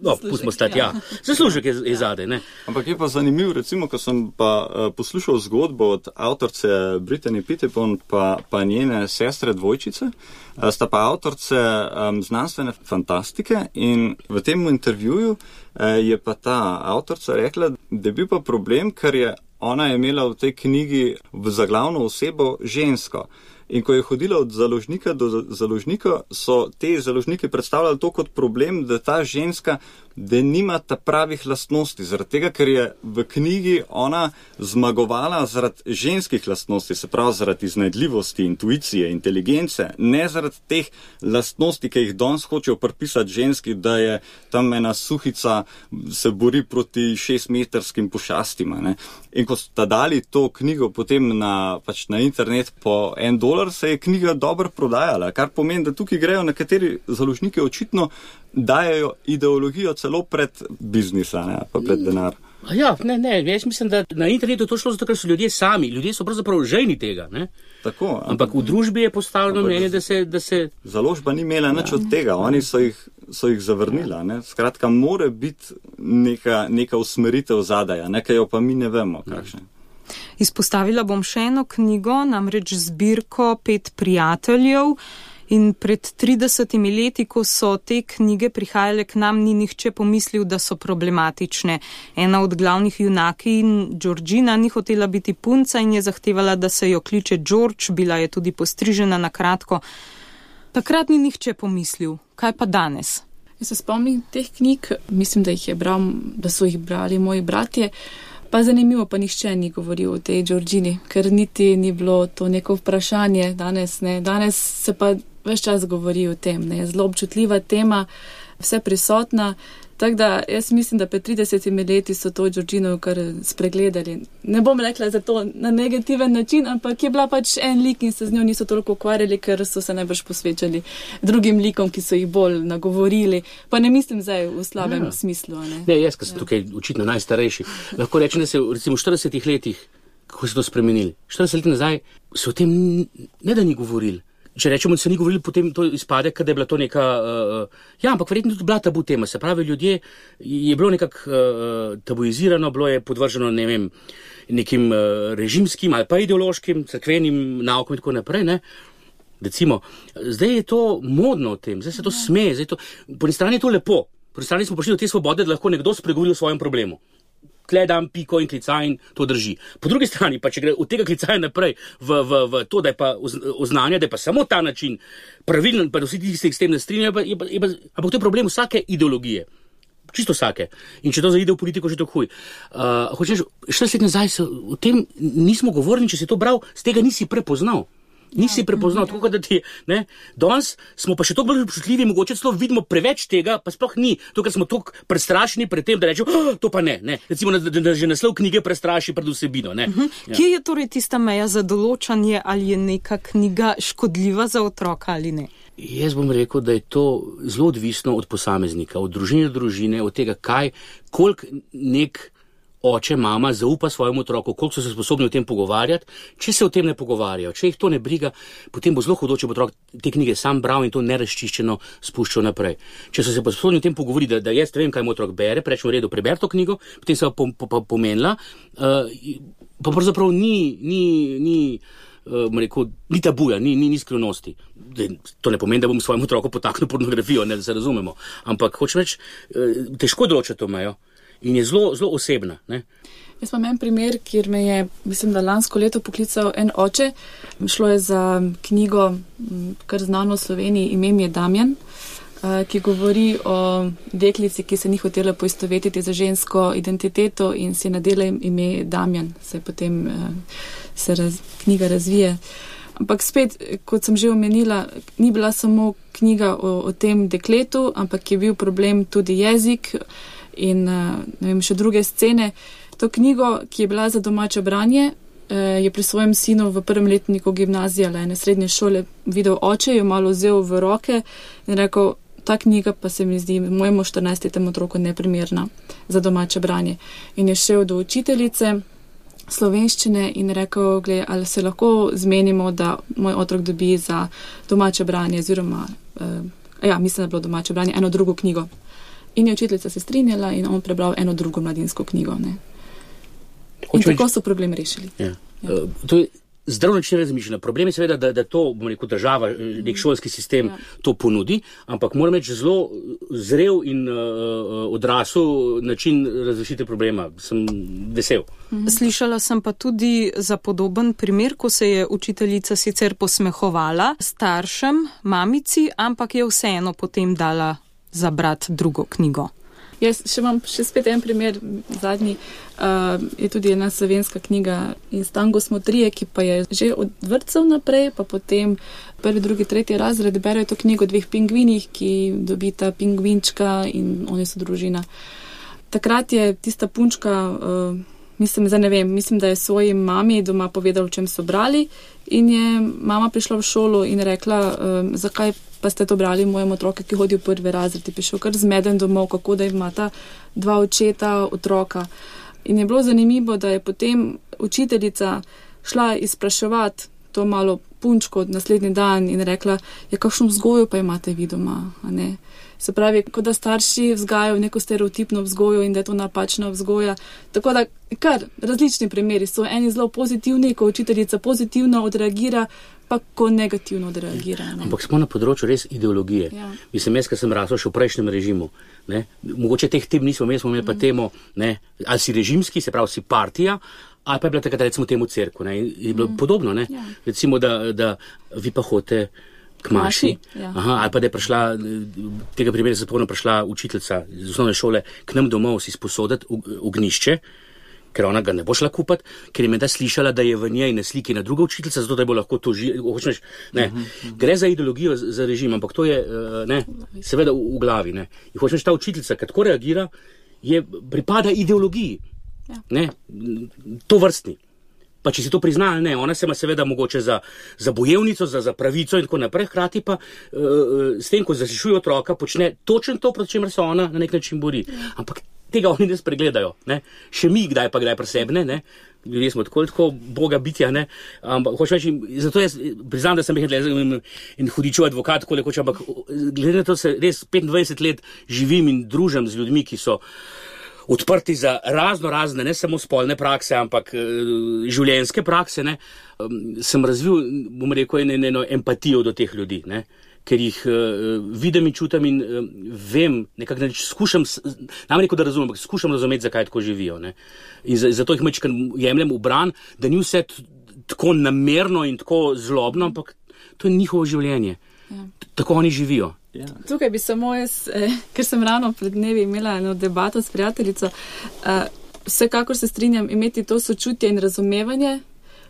no, pustimo stati, ja, zaslužek je, je zade, ne. Ampak je pa zanimiv, recimo, ko sem pa uh, poslušal zgodbo od avtorce Brittany Pettibon pa, pa njene sestre dvojčice, uh, sta pa avtorce um, znanstvene fantastike in v tem intervjuju uh, je pa ta avtorca rekla, da je bil pa problem, ker je ona imela v tej knjigi v zaglavno osebo žensko. In ko je hodila od založnika do založnika, so te založniki predstavljali to kot problem, da ta ženska, da nima ta pravih lastnosti, zaradi tega, ker je v knjigi ona zmagovala zaradi ženskih lastnosti, se pravi zaradi iznajdljivosti, intuicije, inteligence, ne zaradi teh lastnosti, ki jih danes hočejo pripisati ženski, da je tam ena suhica, se bori proti šestmetrskim pošastima. Ne? In ko sta dali to knjigo potem na, pač na internet po en dolar, se je knjiga dobro prodajala, kar pomeni, da tukaj grejo nekateri založniki očitno dajajo ideologijo celo pred biznisa, ne, pa pred denar. Ja, ne, ne, jaz mislim, da na internetu to šlo zato, ker so ljudje sami, ljudje so pravzaprav žejni tega, ne. Tako, ampak v družbi je postavljeno mnenje, da se, da se... Založba ni imela nič od tega, oni so jih, so jih zavrnila, ne. Skratka, more biti neka, neka usmeritev zadaja, nekaj jo pa mi ne vemo, kakšne. Izpostavila bom še eno knjigo, namreč zbirko Pet prijateljev. In pred tridesetimi leti, ko so te knjige prihajale k nam, ni nihče pomislil, da so problematične. Ena od glavnih junakinj, Georgina, ni hotela biti punca in je zahtevala, da se jo kliče George, bila je tudi postrižena na kratko. Takrat ni nihče pomislil. Kaj pa danes? Jaz se spomnim teh knjig, mislim, da, jih je bral, da so jih brali moji bratje, pa zanimivo, pa nihče ni govoril o tej Georgini, ker niti ni bilo to neko vprašanje danes, ne. Danes se pa ves čas govori o tem, ne, zelo občutljiva tema, vse prisotna, Tako da jaz mislim, da pred tridesetimi leti so to Georginovo kar spregledali. Ne bom rekla za to na negativen način, ampak je bila pač en lik in se z njo niso toliko ukvarjali, ker so se najbrž posvečali drugim likom, ki so jih bolj nagovorili. Pa ne mislim zdaj v slabem ja. smislu. Ne, ne jaz, ker sem ja. tukaj očitno najstarejši, lahko rečem, da se recimo v štiridesetih letih, kako se to spremenili, štirideset let nazaj so o tem ne da ni govorili. Če rečemo, da se ni govorili, potem to izpade, kad je bila to neka, uh, ja, ampak verjetno tudi bila tabu tema. Se pravi, ljudje je bilo nekako uh, tabuizirano, bilo je podvrženo, ne vem, nekim uh, režimskim ali pa ideološkim, cerkvenim naukom in tako naprej, ne. Recimo, zdaj je to modno o tem, zdaj se to sme, zdaj to, po eni strani je to lepo, po eni strani smo prišli do te svobode, da lahko nekdo spregovori o svojem problemu. Tle dam piko in klicaj in to drži. Po drugi strani pa, če gre od tega klicaja naprej v, v, v to, da je pa oznanje, da je pa samo ta način pravilen, pa da vsi tisti s tem ne strinjajo, je pa, je pa, ampak to je problem vsake ideologije. Čisto vsake. In če to zaide v politiko, že to huj. Uh, hočeš, štirideset let nazaj se o tem nismo govorili, če si to bral, z tega nisi prepoznal. Nisi prepoznal, tako da ti, ne, danes smo pa še toliko bolj občutljivi, mogoče celo vidimo preveč tega, pa sploh ni, to, ker smo toliko prestrašeni pred tem, da rečemo, oh, to pa ne, ne, recimo, da, da, da že naslov knjige prestraši pred vsebino, ne. Uh-huh. Ja. Kje je torej tista meja za določanje, ali je neka knjiga škodljiva za otroka ali ne? Jaz bom rekel, da je to zelo odvisno od posameznika, od družine do družine, od tega, kaj, koliko nek oče, mama zaupa svojemu otroku, koliko so se sposobni o tem pogovarjati. Če se o tem ne pogovarjajo, če jih to ne briga, potem bo zelo hudo, če bo otrok te knjige sam bral in to nerazčiščeno spuščal naprej. Če so se pa sposobni o tem pogovoriti, da, da jaz vem, kaj moj otrok bere, rečemo v redu, preber to knjigo, potem se pa po, po, pomenila, uh, pa pravzaprav ni, ni, ni, uh, rekel, ni tabuja, ni, ni, ni skrivnosti. To ne pomeni, da bom svojemu otroku potaknil pornografijo, ne, da se razumemo. Ampak hočem reči, uh, težko določa to mejo. In je zelo, zelo osebna. Ne? Jaz imam en primer, kjer me je, mislim, da lansko leto poklical en oče. Šlo je za knjigo, kar znano v Sloveniji, ime mi je Damjan, ki govori o deklici, ki se ni hotela poistovetiti za žensko identiteto in si nadela ime Damjan. Se potem se raz, knjiga razvije. Ampak spet, kot sem že omenila, ni bila samo knjiga o, o tem dekletu, ampak je bil problem tudi jezik in ne vem, še druge scene. To knjigo, ki je bila za domače branje, je pri svojem sinu v prvem letniku gimnazije ali ene srednje šole videl oče, jo malo vzel v roke in rekel, ta knjiga pa se mi zdi mojemu štirinajstletnemu otroku neprimerna za domače branje. In je šel do učiteljice slovenščine in rekel, gled, ali se lahko zmenimo, da moj otrok dobi za domače branje, oziroma, eh, ja, mislim, da je bilo domače branje, eno drugo knjigo. In je učiteljica se strinjala in on prebral eno drugo mladinsko knjigo. Ne? In tako so problem rešili. Ja. Ja. Uh, to je zdrav način razmišljanja. Problem je seveda, da, da to, bom rekel, država, nek šolski sistem ja. to ponudi, ampak moram reči zelo zrel in uh, odrasel način razrešitve problema. Sem vesel. Slišala sem pa tudi za podoben primer, ko se je učiteljica sicer posmehovala staršem, mamici, ampak je vseeno potem dala zabrati drugo knjigo. Jaz še imam še spet en primer, zadnji, uh, je tudi ena slovenska knjiga In stango smo trije, ki pa je že od vrtcev naprej, pa potem prvi, drugi, tretji razred berejo to knjigo o dveh pingvinih, ki dobita pingvinčka in oni so družina. Takrat je tista punčka, uh, mislim, zdaj ne vem, mislim, da je svoji mami doma povedala, o čem so brali in je mama prišla v šolo in rekla, um, zakaj pa ste to brali mojemu otroku, ki hodi v prvi razred, je prišel kar zmeden domov, kako da imata dva očeta, otroka. In je bilo zanimivo, da je potem učiteljica šla izpraševati to malo punčko naslednji dan in rekla, ja, kakšno vzgojo pa imate vi doma, a ne? Se pravi, kot da starši vzgajajo neko stereotipno vzgojo in da je to napačna vzgoja. Tako da kar različni primeri so, eni zelo pozitivni, ko učiteljica pozitivno odreagira, pa ko negativno odreagira. Ne? Ampak smo na področju res ideologije. Ja. Mislim, jaz, ker sem rasel še v prejšnjem režimu, ne? Mogoče teh tem nismo imeli, smo imeli pa temo, ne? Ali si režimski, se pravi si partija, ali pa je bila takrat recimo temu cerku. Ne? Je bilo mm. podobno, ne? Ja. Recimo, da, da vi pa hote k maši, ja. Aha, ali pa da je prišla, tega primera se spomnim, prišla učiteljica iz osnovne šole k nam domov si sposoditi ognišče, ker ona ga ne bo šla kupati, ker je menda slišala, da je v njej na sliki na druga učiteljica, zato da bo lahko to živela. Ne, uh-huh. Gre za ideologijo, za režim, ampak to je, ne, seveda v, v glavi, ne. In hočeš, ta učiteljica, kad tako reagira, je, pripada ideologiji, ja. Ne, to vrstni. Pa če si to prizna ali ne, ona se ima seveda mogoče za, za bojevnico, za, za pravico in tako naprej, hkrati pa uh, s tem, ko zašišuje otroka, počne točno to, proti čemer se ona na nek način bori. Ja. Ampak tega oni ne spregledajo, ne. Še mi kdaj pa kdaj presebne, ne. Ljudje smo tako, tako boga bitja, ne. Ampak hočem reči, zato jaz priznam, da sem jih in, in hudičev advokat, tako lekoč, ampak glede na to se res petindvajset let živim in družim z ljudmi, ki so odprti za razno razne, ne samo spolne prakse, ampak uh, življenjske prakse, ne, um, sem razvil, bom rekel, eno, eno empatijo do teh ljudi, ne, ker jih uh, vidim in čutim in uh, vem, nekako neč, skušam, nam rekel, da razumem, ampak skušam razumeti, zakaj tako živijo, ne. In zato jih mečkam jemljem v bran, da ni vse t- tako namerno in tako zlobno, ampak to je njihovo življenje. Ja. Tako oni živijo. Ja. Tukaj bi samo jaz, eh, ker sem ravno pred dnevi imela eno debato s prijateljico, eh, vsekakor se strinjam imeti to sočutje in razumevanje,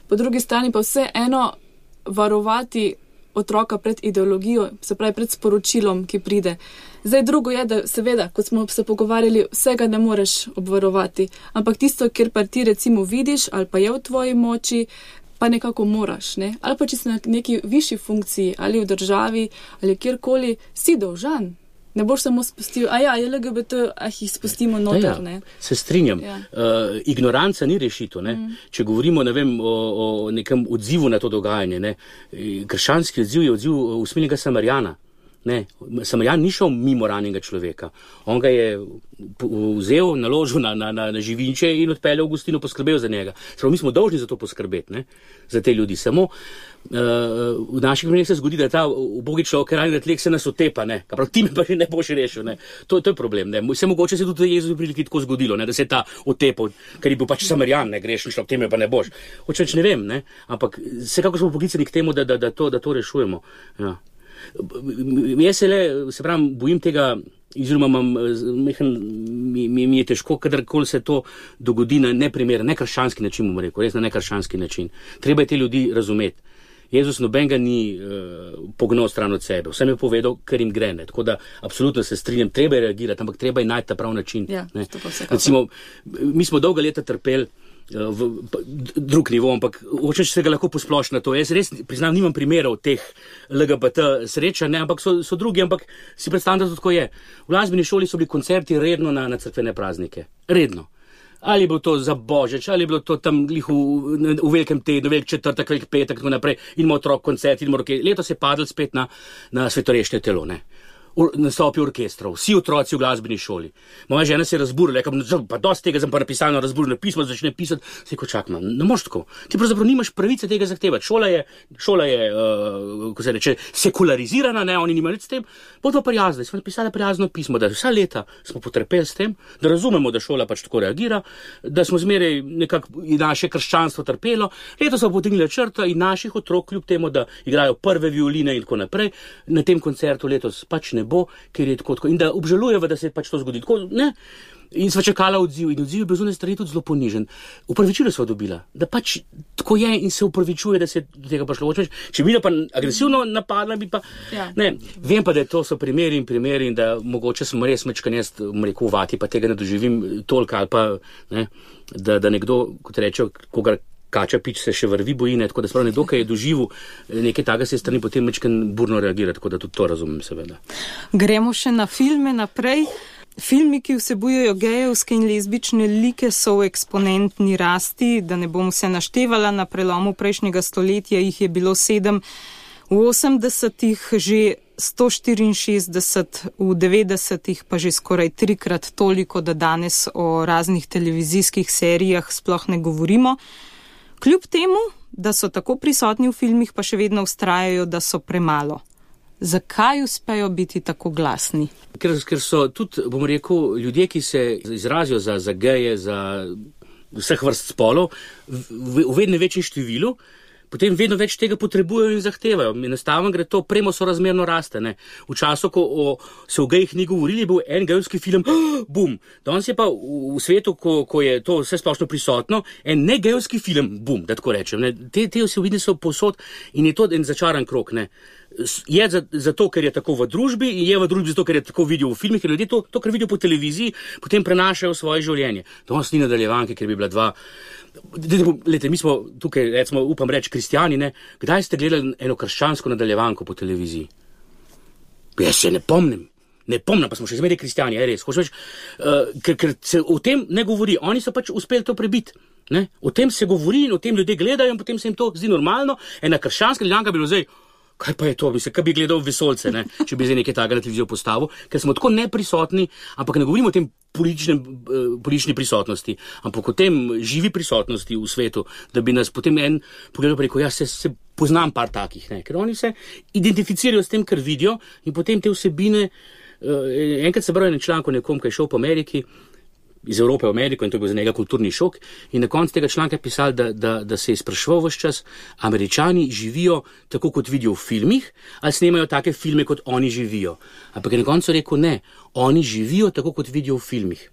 po drugi strani pa vse eno varovati otroka pred ideologijo, se pravi pred sporočilom, ki pride. Zdaj drugo je, da seveda, kot smo se pogovarjali, vsega ne moreš obvarovati, ampak tisto, kjer pa ti recimo vidiš ali pa je v tvoji moči, pa nekako moraš, ne? Ali pa če si na neki višji funkciji, ali v državi, ali kjerkoli, si dolžan. Ne boš samo spustil, a ja, je L G B T, ah jih spustimo noter, ja, ne? Se strinjam. Ja. Uh, ignoranca ni rešito, ne? Mm. Če govorimo, ne vem, o, o nekem odzivu na to dogajanje, ne? Krščanski odziv je odziv usmilnega Samarjana. Ne, Samarjan ni šel mimo ranjenega človeka. On ga je vzel, naložil na, na, na, na živinče in odpeljal v gostino, poskrbel za njega. Spravo, mi smo dolžni za to poskrbeti, ne, za te ljudi. Samo uh, v naših primerih se zgodi, da ta ubogi človek, ranjen tlek, se nas otepa, ne. Prav, ti me pa ne boš rešil, ne. To, to je problem, ne. Vse mogoče se tudi Jezus priliki tako zgodilo, ne, da se je ta otepal, ker je bil pač Samarjan, ne, grešni človek, teme pa ne boš. Hočeč ne vem, ne, ampak vsekako smo poklicani k temu, da, da, da, to, da to rešujemo. Ja. Jaz se le, se pravim, bojim tega, oziroma mi, mi, mi je težko, kadarkoli se to dogodi na neprimeren, nekrščanski način, bom rekel, res na nekrščanski način. Treba je te ljudi razumeti. Jezus nobenega ni uh, pognal stran od sebe, vsem je povedal, ker jim gre, ne. Tako da absolutno se strinjam, treba je reagirati, ampak treba je najti ta prav način. Ja, recimo, mi smo dolga leta trpeli v drug nivo, ampak hočeš se ga lahko posplošiti na to. Jaz res priznam, nimam primerov teh L G B T sreča, ne, ampak so, so drugi, ampak si predstavljam, da to tako je. V glasbeni šoli so bili koncerti redno na, na cerkvene praznike. Redno. Ali je bilo to za Božič, ali je bilo to tam v, v velikem tednu, velik četrtek, velik petek, tako naprej, in ima otrok koncert, in mora, letos je padel spet na, na svetorešne telo, ne. Nastopi orkestrov, vsi otroci v glasbeni šoli. Moja žena se je razburila, rekel, pa dosti tega sem pa napisal na razburjeno pismo, začne pisati, se ko čakam, ne moš tako. Ti pravzaprav nimaš pravice tega zahtevati. Šola je, šola je, uh, ko se reče, sekularizirana, ne, oni nimajo nič s tem. Bodo prijazni, smo napisali prijazno pismo, da vsa leta smo potrpeli s tem, da razumemo, da šola pač tako reagira, da smo zmeraj nekako naše krščanstvo trpelo. Leto so potegnili črto in naših otrok, kljub temu, da igrajo prve violine in tako naprej, na tem koncertu letos pač ne bo, ker je tako, tako, in da obžalujeva, da se je pač to zgodi. Tako, ne? In sva čakala odziv, in odziv je bil zunaj strani tudi zelo ponižen. Upravičilo sva dobila, da pač tako je in se upravičuje, da se je do tega prišlo. Če bi pa agresivno napadla, bi pa, ja. Ne, vem pa, da to so primeri in primeri in da mogoče smo res mečkan jaz, rekel, vati, pa tega ne doživim toliko, ali pa, ne, da, da nekdo, kot reče, koga kača pič se še vrvi bojine, tako da sprav nekdo, ki je doživel nekaj takega, se je strani potem mečkan burno reagira, tako da tudi to razumem seveda. Gremo še na filme naprej. Filmi, ki vsebujejo gejevske in lezbične like, so v eksponentni rasti, da ne bom vse naštevala, na prelomu prejšnjega stoletja jih je bilo sedem, v osemdesetih že sto štiriinšestdeset, v devetdesetih pa že skoraj trikrat toliko, da danes o raznih televizijskih serijah sploh ne govorimo. Kljub temu, da so tako prisotni v filmih, pa še vedno vztrajajo, da so premalo. Zakaj uspejo biti tako glasni? Ker, ker so tudi, bom rekel, ljudje, ki se izrazijo za, za geje, za vseh vrst spolov, v, v vedno večjem številu, potem vedno več tega potrebujejo in zahtevajo. Enostavno gre to premo sorazmerno raste. Ne. V času, ko o, se o gejih ni govorili, je bil en gejski film, oh, bum. Danes je pa v, v svetu, ko, ko je to vse splošno prisotno, en ne gejski film, bum, da tako rečem. Ne. Te, te vsebine so povsod in je to en začaran krog. Ne. Je zato, ker je tako v družbi in je v družbi zato, ker je tako vidijo v filmih, ker ljudje to, to, kar vidijo po televiziji, potem prenašajo v svoje življenje. Danes ni nadaljevanke, ker bi bila dva. Lete, mi smo tukaj, recimo, upam reči, kristjani, ne? Kdaj ste gledali eno krščansko nadaljevanko po televiziji? Jaz se ne pomnim. Ne pomnim, pa smo še zmeraj kristjani, je res. Hočem reči, uh, ker, ker se o tem ne govori. Oni so pač uspeli to prebiti. Ne? O tem se govori in o tem ljudje gledajo in potem se jim to zdi normalno. Ena krščanska nadaljevanka bi bilo zdaj, kaj pa je to, mislim, kaj bi gledal vesolce, ne? Če bi zdaj nekaj takega na televizijo postavil, ker smo tako neprisotni, ampak ne govorimo o tem političnem, politični prisotnosti, ampak o tem živi prisotnosti v svetu, da bi nas potem en pogledal pa rekel, ja, se, se poznam par takih, ne? Ker oni se identificirajo s tem, kar vidijo in potem te vsebine, uh, enkrat se bral en članek o nekom, ki je šel po Ameriki, iz Evrope v Ameriko in to je bil za njega kulturni šok in na koncu tega članka je pisal, da, da, da se je spraševal vse čas, Američani živijo tako, kot vidijo v filmih, ali snemajo take filme, kot oni živijo. Ampak je na koncu rekel, ne, oni živijo tako, kot vidijo v filmih.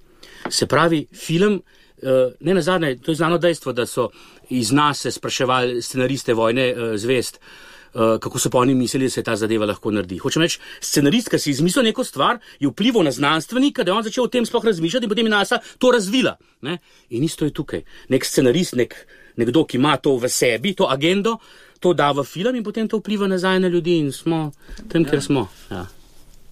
Se pravi, film, ne nazadnje, to je znano dejstvo, da so iz nas se spraševali scenariste Vojne zvezd, Uh, kako so pa oni mislili, da se ta zadeva lahko naredi. Hočem reči, scenarist, ki si izmislil neko stvar, je vplival na znanstvenika, da je on začel o tem sploh razmišljati in potem je NASA to razvila. Ne? In isto je tukaj. Nek scenarist, nek, nekdo, ki ima to v sebi, to agendo, to da v film in potem to vpliva nazaj na ljudi in smo tam, ja. Kjer smo. Ja.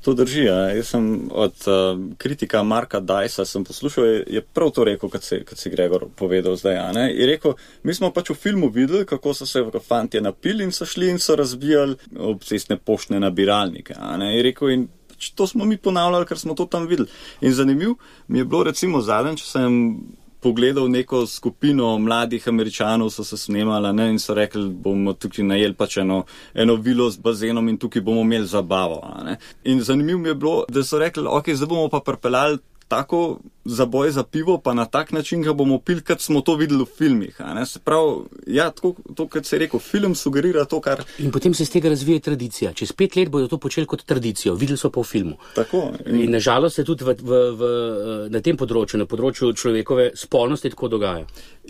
To drži, ja. Jaz sem od uh, kritika Marka Dajsa sem poslušal, je, je prav to rekel, kot si, kot si Gregor povedal zdaj. Ne? Je rekel, mi smo pač v filmu videli, kako so se fantje napili in so šli in so razbijali obcestne poštne nabiralnike. Ne? Je rekel, in pač to smo mi ponavljali, ker smo to tam videli. In zanimiv mi je bilo recimo zadnjič, če sem pogledal neko skupino mladih Američanov, so se snemala, ne, in so rekli, bomo tukaj najeli pač eno, eno vilo z bazenom in tukaj bomo imeli zabavo. Ne. In zanimivo mi je bilo, da so rekli, ok, zdaj bomo pa pripeljali tako zaboj za pivo, pa na tak način ga bomo pili, kot smo to videli v filmih. Ne. Se pravi, ja, tako, to, kot se je rekel, film sugerira to, kar... In potem se z tega razvije tradicija. Čez pet let bodo to počeli kot tradicijo. Videli so pa v filmu. Tako. In, in nažalost se tudi v, v, v, na tem področju, na področju človekove spolnosti tako dogaja.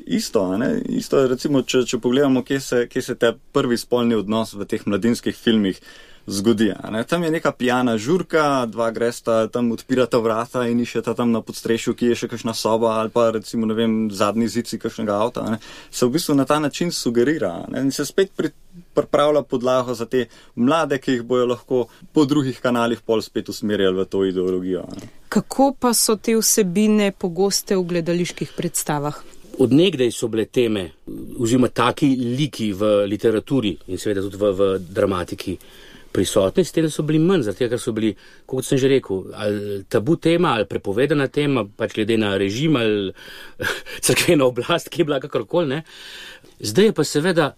Isto, ne? Isto, recimo, če, če pogledamo, kje se, kje se te prvi spolni odnos v teh mladinskih filmih zgodi. Ne? Tam je neka pijana žurka, dva gresta, tam odpirata vrata in iščeta tam na podstrešju, ki je še kakšna soba ali pa recimo, ne vem, zadnji zici kakšnega avta. Ne? Se v bistvu na ta način sugerira, ne? In se spet pri, pripravlja podlago za te mlade, ki jih bojo lahko po drugih kanalih pol spet usmerjali v to ideologijo. Ne? Kako pa so te vsebine pogoste v gledaliških predstavah? Od nekdaj so bile teme, oziroma taki liki v literaturi in seveda tudi v, v dramatiki prisotni, s tem so bili manj, zato ker so bili, kot sem že rekel, ali tabu tema, ali prepovedana tema, pač glede na režim, ali crkvena oblast, ki je bila kakorkoli, ne. Zdaj je pa seveda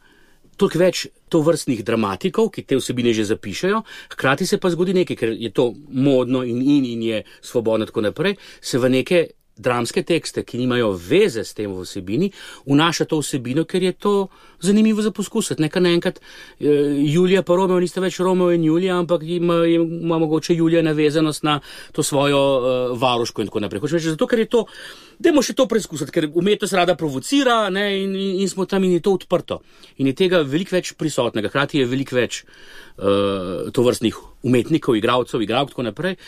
toliko več tovrstnih dramatikov, ki te vsebine že zapišajo, hkrati se pa zgodi nekaj, ker je to modno in in, in je svobodno tako naprej, se v neke dramske tekste, ki nimajo veze s tem v vsebini, vnaša to vsebino, ker je to zanimivo za poskusiti. Nekaj naenkrat Julija pa Romeo nista več Romeo in Julija, ampak ima, ima mogoče Julija navezanost na to svojo uh, varuško in tako naprej. Hočem reči, zato, ker je to, dajmo še to preizkusiti, ker umetnost rada provocira, ne, in, in, in smo tam in je to odprto. In je tega veliko več prisotnega, hkrati je veliko več uh, tovrstnih umetnikov, igralcev, igralk, tako naprej.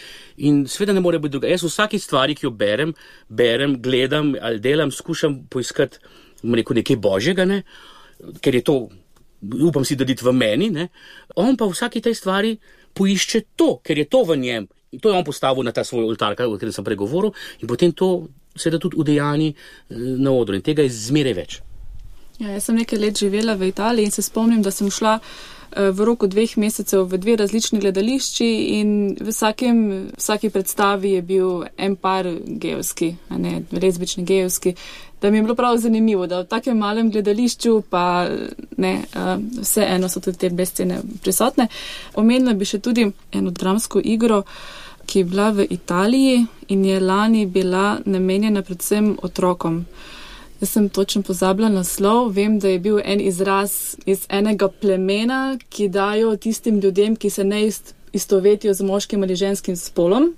In sveda ne more biti druga. Jaz v vsaki stvari, ki jo berem, berem, gledam ali delam, skušam poiskati, rekel, nekaj božjega, ne, ker je to, upam si, da dit v meni, ne. On pa v vsaki tej stvari poišče to, ker je to v njem. In to je on postavil na ta svoj oltar, o katerem sem pregovoril, in potem to seveda tudi udejani na odru. In tega je zmeraj več. Ja, jaz sem nekaj let živela v Italiji in se spomnim, da sem šla v roku dveh mesecev v dve različni gledališči in v vsakem, vsaki predstavi je bil en par gejevski, a ne, lezbični gejevski, da mi je bilo prav zanimivo, da v takem malem gledališču pa ne, vse eno so tudi te scene prisotne. Omenila bi še tudi eno dramsko igro, ki je bila v Italiji in je lani bila namenjena predvsem otrokom. Jaz sem točno pozabila naslov, vem, da je bil en izraz iz enega plemena, ki dajo tistim ljudem, ki se ne istovetijo z moškim ali ženskim spolom.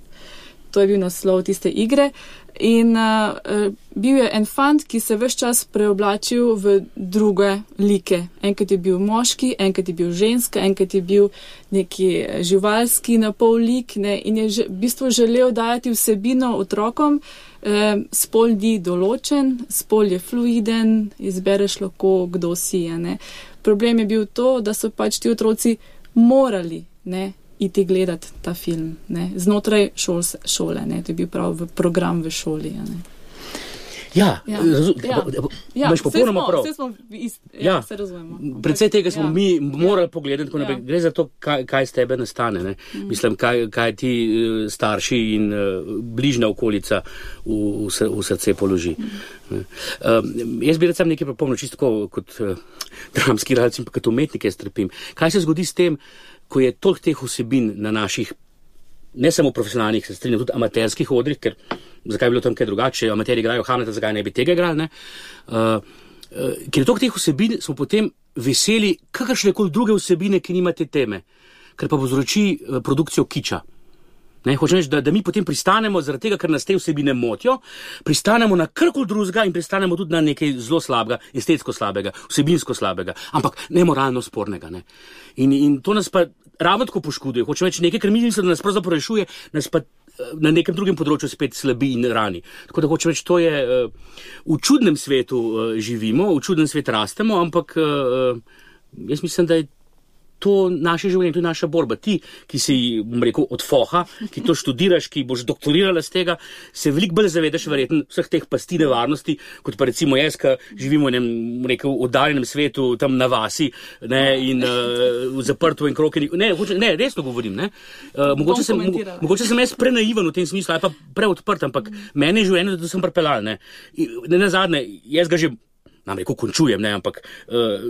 To je bil naslov tiste igre. In uh, bil je en fant, ki se ves čas preoblačil v druge like. Enkrat je bil moški, enkrat je bil ženska, enkrat je bil neki živalski napol lik, ne, in je že, v bistvu želel dajati vsebino otrokom. E, spol ni določen, spol je fluiden, izbereš lahko, kdo si je. Ne. Problem je bil to, da so pač ti otroci morali, ne, iti gledati ta film, ne, znotraj šol, šole, ne, to je bil prav v program v šoli. Ne. Ja, Ja. razum, Ja. Ja, imaš popolnoma vse smo- prav. vse smo ist, ja, Ja. se razumemo. Predvsej tega smo Ja. mi morali pogledati, tako naprej. Ja. Gre za to, kaj, kaj z tebe nastane. Ne? Mm. Mislim, kaj, kaj ti eh, starši in uh, bližnja okolica v, v, sr- v srce položi. Mm. Um, jaz bi recimo nekaj pripomnil, čisto tako kot uh, dramski igralec in pa kot umetnik jaz trpim. Kaj se zgodi s tem, ko je toliko teh vsebin na naših, ne samo profesionalnih, se strinjam, tudi amaterskih odrih, ker zakaj bi bilo tam kaj drugače, amateri igrajo Hamleta, zakaj ne bi tega igrali, ne? Uh, uh, ker je toliko teh vsebin, smo potem veseli kakršne koli druge vsebine, ki nimate teme, ker pa povzroči uh, produkcijo kiča. Ne, hočem reči, da, da mi potem pristanemo, zaradi tega, ker nas te vsebine motijo, pristanemo na karkoli drugega in pristanemo tudi na nekaj zelo slabega, estetsko slabega, vsebinsko slabega, ampak nemoralno spornega. Ne. In, in to nas pa ravno tako poškoduje. Hočem reči, nekaj, kar mi mislim, da nas pravzaprav rešuje, nas pa na nekem drugem področju spet slabi in rani. Tako da hočem reči, to je, v čudnem svetu živimo, v čudnem svetu rastemo, ampak jaz mislim, da je to naše življenje, to je naša borba. Ti, ki si, bom rekel, od foha, ki to študiraš, ki boš doktorirala z tega, se veliko bolj zavedaš verjetno vseh teh pasti nevarnosti, kot pa recimo jaz, ki živimo v enem, rekel, oddaljenem svetu, tam na vasi, ne, in uh, v zaprtu in kroki. Ne, hoče, ne, resno govorim, ne. Uh, mogoče, sem, mo, mogoče sem jaz prenaiven v tem smislu, ali pa preodprt, ampak mm. meni je življenje, da sem pripeljal, ne. Ne nazadnje, jaz ga že nam rekel, končujem, ne, ampak uh,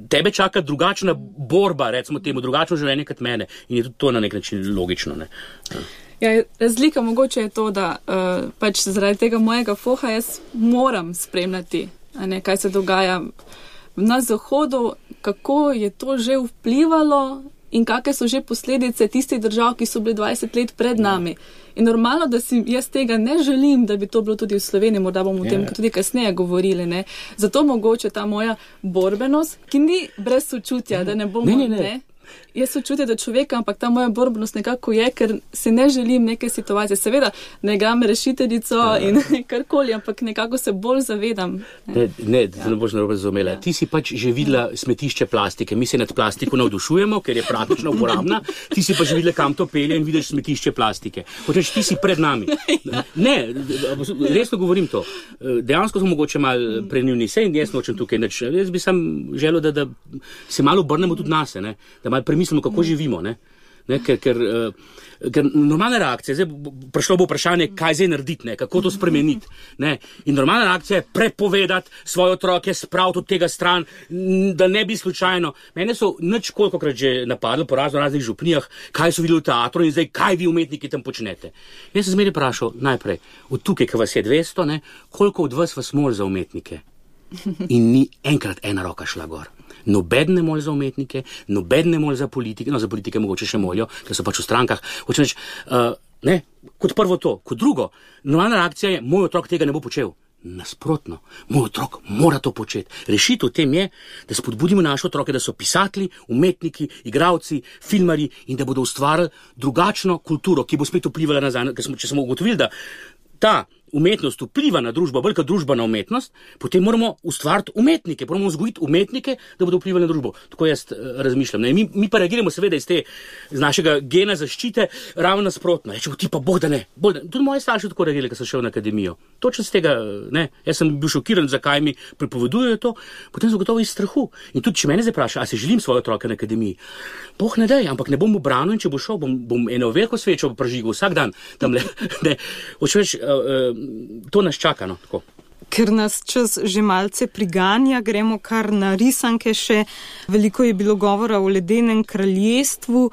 tebe čaka drugačna borba, recimo temu, drugačno življenje kot mene in je tudi to na nek način logično, ne. Ja. Ja, razlika mogoče je to, da uh, pač zaradi tega mojega foha jaz moram spremljati, a ne, kaj se dogaja na Zahodu, kako je to že vplivalo in kakšne so že posledice tistih držav, ki so bili dvajset let pred nami. In normalno, da si jaz tega ne želim, da bi to bilo tudi v Sloveniji, morda bomo o tem tudi kasneje govorili. Ne. Zato mogoče ta moja borbenost, ki ni brez sočutja, da ne bomo... Ne, ne, ne. ne jaz sočutje do človeka, ampak ta moja borbenost nekako je, ker se ne želim neke situacije. Seveda, ne igram rešiteljico ja. in karkoli, ampak nekako se bolj zavedam. Ne, ne, da ja. ne boš narobe razumela. Ja. Ti si pač že videla smetišče plastike. Mi se nad plastiko navdušujemo, ker je praktično uporabna. Ti si pa že videla, kam to pelje in vidiš smetišče plastike. Hočeš, ti si pred nami. Ja. Ne, resno govorim to. Dejansko smo mogoče malo prenivni. Sej in jaz nočem tukaj nič. Jaz bi sam želel, da, da se malo obrnemo tudi nase, ne? Da malo premislimo, kako živimo, ne? Ne? Ker, ker, uh, ker normalna reakcija, zdaj prišlo bo vprašanje, kaj zdaj narediti, ne? Kako to spremeniti. Ne? In normalna reakcija je prepovedati svoje otroke, spraviti od tega stran, da ne bi slučajno. Mene so nič kolikokrat že napadli po razno raznih župnijah, kaj so videli v teatru in zdaj, kaj vi umetniki tam počnete. Jaz sem zmeraj vprašal najprej, od tukaj, ki vas je dvesto, ne? Koliko od vas vas mol za umetnike? In ni enkrat ena roka šla gor. Nobeden ne moli za umetnike, nobeden ne moli za politike, no za politike mogoče še molijo, ker so pač v strankah. Hočem reči, uh, ne, kot prvo to. Kot drugo, normalna reakcija je, moj otrok tega ne bo počel. Nasprotno, moj otrok mora to početi. Rešitev v tem je, da spodbudimo naše otroke, da so pisatelji, umetniki, igralci, filmarji in da bodo ustvarili drugačno kulturo, ki bo spet vplivala nazaj. Ker smo, če smo ugotovili, da ta umetnost vpliva na družbo, velika družbena umetnost, potem moramo ustvariti umetnike, moramo vzgojiti umetnike, da bodo vplivali na družbo. Tako jaz uh, razmišljam. Ne? Mi, mi pa reagiramo seveda iz te, iz našega gena zaščite, ravno nasprotno. Rečemo, ti pa Bog da ne. Bog da. Tudi moji starši tako reagirali, ko so šel na akademijo. Točno z tega, ne. Jaz sem bil šokiran, zakaj mi prepovedujejo to, potem so gotovo iz strahu. In tudi, če mene zdaj vpraša, a se želim svoje otroke na akademiji, Bog ne daj, ampak ne bom ubranil in če bo šel, bom, bom eno veliko svečo pražigal vsak dan. Tamle, ne. Hočeš, uh, uh, to nas čaka, no, tako. Ker nas čas že malce priganja, gremo kar na risanke še. Veliko je bilo govora o Ledenem kraljestvu,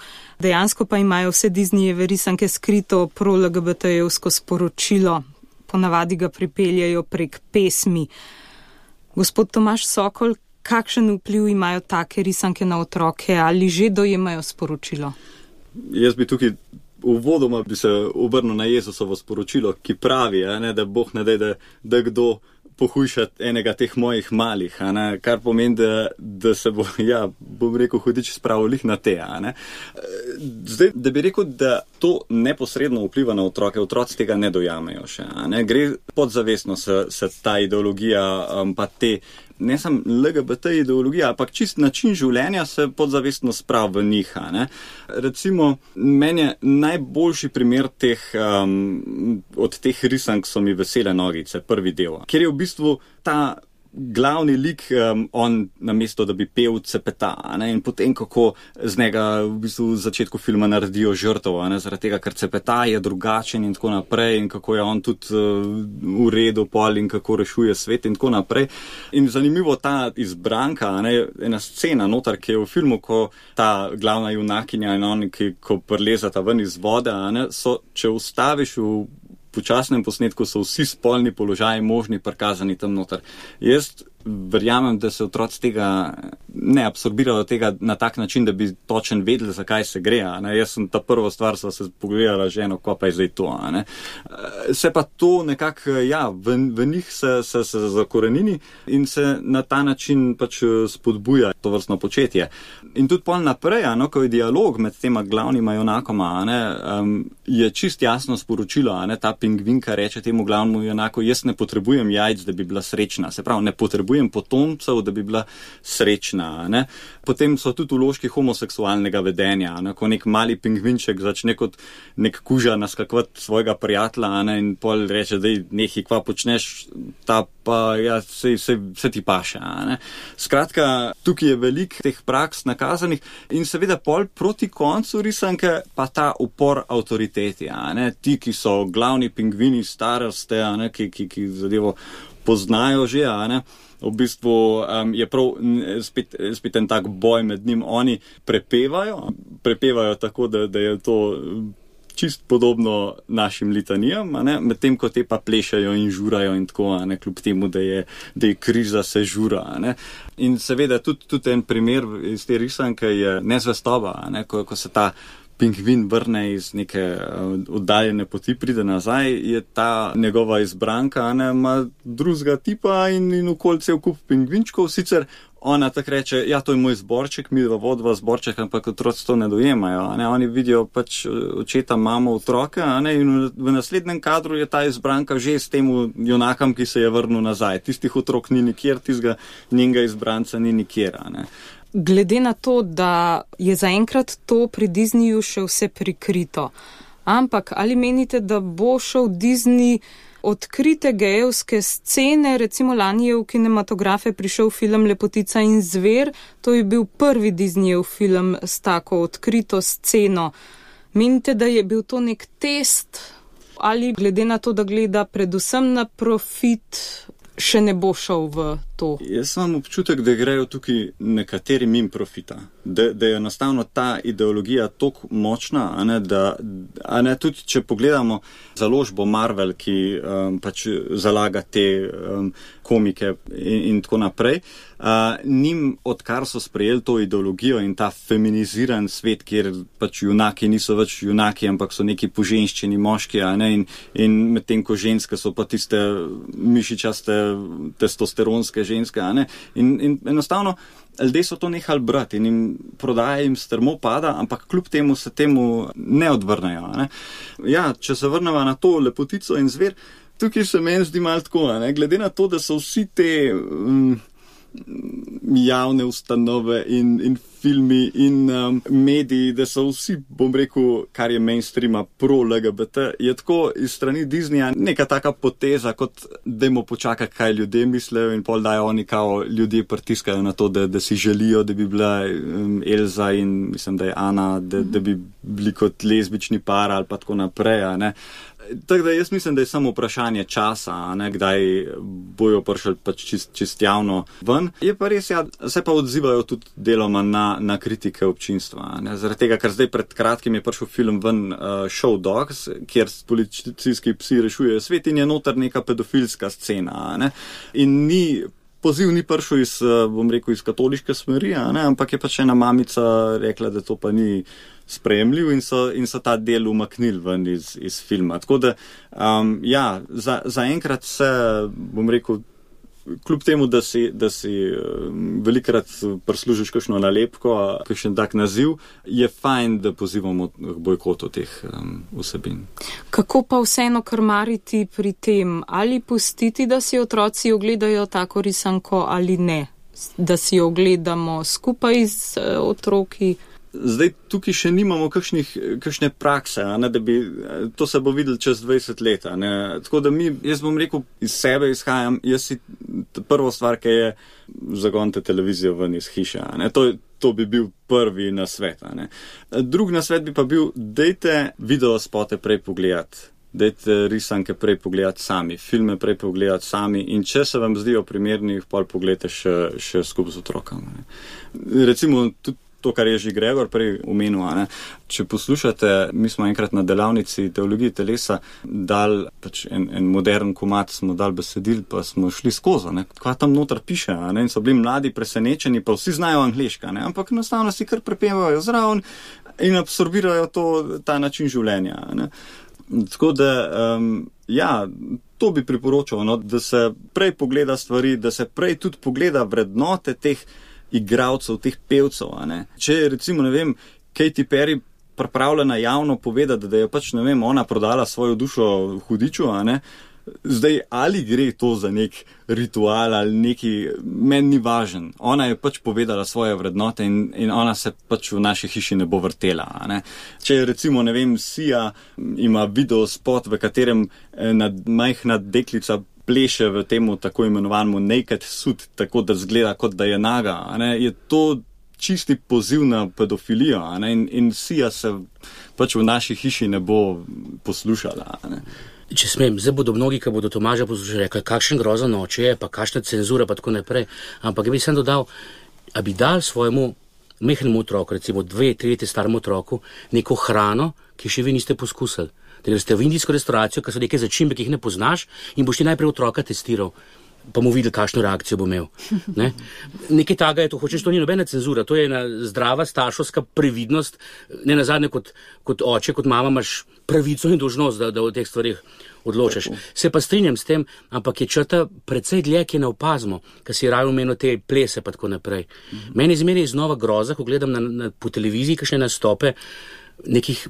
dejansko pa imajo vse Disneyjeve risanke skrito pro-el ge be te jevsko sporočilo. Ponavadi ga pripeljajo prek pesmi. Gospod Tomaž Sokol, kakšen vpliv imajo take risanke na otroke ali že dojemajo sporočilo? Jaz bi tukaj uvodoma bi se obrnil na Jezusovo sporočilo, ki pravi, ne, da Bog ne daj, da, da kdo pohujšati enega teh mojih malih, a ne, kar pomeni, da, da se bo, ja, bom rekel, hudič spravil lih na te, a ne. Zdaj, da bi rekel, da to neposredno vpliva na otroke, otroci tega ne dojamejo še, a ne, gre podzavestno se, se ta ideologija, um, pa te, ne samo L G B T ideologija, ampak čist način življenja se podzavestno sprav v njih, a ne. Recimo, meni je najboljši primer teh, um, od teh risank so mi Vesele nogice, prvi del, kjer je v bistvu ta glavni lik, um, on namesto, da bi pel, cepeta, ne, in potem kako z njega v bistvu v začetku filma naredijo žrtev, ne, zaradi tega, ker cepeta je drugačen in tako naprej in kako je on tudi uh, v redu pol in kako rešuje svet in tako naprej. In zanimivo ta izbranka, ne, ena scena notar, ki je v filmu, ko ta glavna junakinja in on, ki ko prlezata ven iz vode, ne, so, če ustaviš v počasnem posnetku, so vsi spolni položaji možni prikazani tam noter. Jaz verjamem, da se otroci tega ne absorbirajo tega na tak način, da bi točen vedeli, zakaj se gre. Ne? Jaz sem ta prvo stvar, sva se pogledala ženo, ko pa je zdaj to. Ne? Se pa to nekako, ja, v, v njih se, se, se zakorenini in se na ta način pač spodbuja to vrstno početje. In tudi pol naprej, no, ko je dialog med tema glavnima junakoma, ne, um, je čist jasno sporočilo, ne, ta pingvinka reče temu glavnemu junaku, jaz ne potrebujem jajc, da bi bila srečna. Se pravi, ne potrebujem potomcev, da bi bila srečna. Ne. Potem so tudi vložki homoseksualnega vedenja, ne, ko nek mali pingvinček začne kot nek kuža naskakovati svojega prijatelja, ne, in pol reče, da nekaj kva počneš, ta pa ja, se, se, se ti paše. Ne. Skratka, tukaj je veliko teh praks nakazanih in seveda pol proti koncu risanke pa ta upor avtoriteti. Ne. Ti, ki so glavni pingvini staroste, ne, ki, ki, ki zadevo poznajo že, a ne. V bistvu um, je prav spet, spet en tak boj med njim. Oni prepevajo, prepevajo tako, da, da je to čist podobno našim litanijam, medtem ko te pa plešajo in žurajo in tako, a ne, kljub temu, da je, da je kriza, se žura. A ne. In seveda tudi, tudi en primer iz te risanke je nezvestoba, a ne, ko, ko se ta pingvin vrne iz neke oddaljene poti, pride nazaj, je ta njegova izbranka, ne, ima drugega tipa in, in okoli cel kup pingvinčkov, sicer ona tak reče, ja, to je moj zborček, mi vodva zborček, ampak otroci to ne dojemajo, a ne, oni vidijo pač očeta, mamo, otroke, a ne, in v naslednjem kadru je ta izbranka že s temu junakam, ki se je vrnil nazaj. Tistih otrok ni nikjer, tistega njenega izbranca ni nikjer, a ne. Glede na to, da je zaenkrat to pri Disneyju še vse prikrito, ampak ali menite, da bo šel Disney odkrite gejevske scene, recimo lani je v kinematografe prišel film Lepotica in zver, to je bil prvi Disneyjev film s tako odkrito sceno. Menite, da je bil to nek test ali glede na to, da gleda predvsem na profit, še ne bo šel v to? Jaz imam občutek, da grejo tukaj nekateri mimo profita. Da, da je enostavno ta ideologija toliko močna, a ne, da, a ne, tudi če pogledamo založbo Marvel, ki um, pač zalaga te um, komike in, in tako naprej, uh, njim, odkar so sprejeli to ideologijo in ta feminiziran svet, kjer pač junaki niso več junaki, ampak so neki poženščeni moški, a ne, in, in medtem ko ženske so pa tiste mišičaste, testosteronske ženske, a ne, in, in enostavno ljudje so to nehali brati in jim prodaja jim strmo pada, ampak kljub temu se temu ne odvrnejo. Ne? Ja, če se vrnemo na to Lepotico in zver, tukaj se meni zdi malo tako, ne? Glede na to, da so vsi te um, javne ustanove in, in filmi in um, mediji, da so vsi, bom rekel, kar je mainstreama pro-L G B T, je tako iz strani Disneyja neka taka poteza, kot dajmo počakati, kaj ljudje mislijo in pol dajo oni kao ljudje pritiskajo na to, da, da si želijo, da bi bila um, Elza in mislim, da je Ana, da, da bi bili kot lezbični par ali pa tako naprej, a ne. Tako da jaz mislim, da je samo vprašanje časa, ne, kdaj bojo prišli pač čist, čist javno ven. Je pa res, ja, se pa odzivajo tudi deloma na, na kritike občinstva. Ne. Zaradi tega, ker zdaj pred kratkim je prišel film ven uh, Show Dogs, kjer policijski psi rešujejo svet in je noter neka pedofilska scena. Ne. In ni poziv ni prišel iz, bom rekel, iz katoliške smeri, ne, ampak je pač ena mamica rekla, da to pa ni sprejemljiv in so, in so ta del umaknili ven iz, iz filma. Tako da, um, ja, za, za enkrat se, bom rekel, kljub temu, da si, da si um, velikrat prislužiš kakšno nalepko, kakšen tak naziv, je fajn, da pozivamo k bojkotu teh um, vsebin. Kako pa vseeno krmariti pri tem? Ali pustiti, da si otroci ogledajo tako risanko ali ne? Da si jo ogledamo skupaj z uh, otroki? Zdaj, tukaj še nimamo kakšnih, kakšne prakse, ne, da bi, to se bo videli čez dvajset let. Ne. Tako da mi, jaz bom rekel, iz sebe izhajam, jaz si prvo stvar, ki je zagonite televizijo ven iz hiše. Ne. To, to bi bil prvi nasvet. Ne. Drug nasvet bi pa bil, dejte video spote prej pogledati. Dejte risanke prej pogledati sami, filme prej pogledati sami in če se vam zdijo primerni, pol pogledajte še, še skupaj z otrokom. Ne. Recimo, tudi to, kar je že Gregor prej omenil, ne. Če poslušate, mi smo enkrat na delavnici teologije telesa dal pač en, en modern komad, smo dal besedil, pa smo šli skozi, ne. Kva tam noter piše, ne. In so bili mladi presenečeni, pa vsi znajo angleška, ne. Ampak enostavno si kar prepevajo zraven in absorbirajo to, ta način življenja, ne. Tako da, um, ja, to bi priporočal, no, da se prej pogleda stvari, da se prej tudi pogleda vrednote teh igralcev, teh pevcev, a ne. Če je recimo, ne vem, Katy Perry pripravljena javno povedati, da je pač, ne vem, ona prodala svojo dušo hudiču, a ne. Zdaj, ali gre to za nek ritual ali neki, meni ni važen. Ona je pač povedala svoje vrednote in, in ona se pač v naši hiši ne bo vrtela, a ne. Če recimo, ne vem, Sia ima video spot, v katerem nad, majhna deklica pleše v temu tako imenovanemu naked suit, tako da zgleda, kot da je naga, a ne, je to čisti poziv na pedofilijo, a ne, in, in Sia se pač v naši hiši ne bo poslušala, a ne. Če smem, zdaj bodo mnogi, ki bodo Tomaža poslušali, rekli, kakšen grozan oče je, pa kakšna cenzura, pa tako naprej. Ampak bi sem dodal, a bi dal svojemu mehnemu otroku, recimo dve, tri leta staremu otroku, neko hrano, ki še vi niste poskusili. Da greste v indijsko restauracijo, ki so neke začimbe, ki jih ne poznaš in boš ti najprej otroka testiral, pa mu videl, kakšno reakcijo bo imel. Ne? Nekaj taga je to, hočeš, to ni nobena cenzura, to je ena zdrava starševska previdnost, ne nazadnje kot, kot oče, kot mama imaš pravico in dolžnost, da, da o teh stvarih odločaš. Se pa strinjam s tem, ampak je črta precej dlje, ki je ne opazimo, ker si raje omenil te plese pa tako naprej. Mhm. Meni zmeraj je znova groza, ko gledam na, na, po televiziji kakšne nastope nekih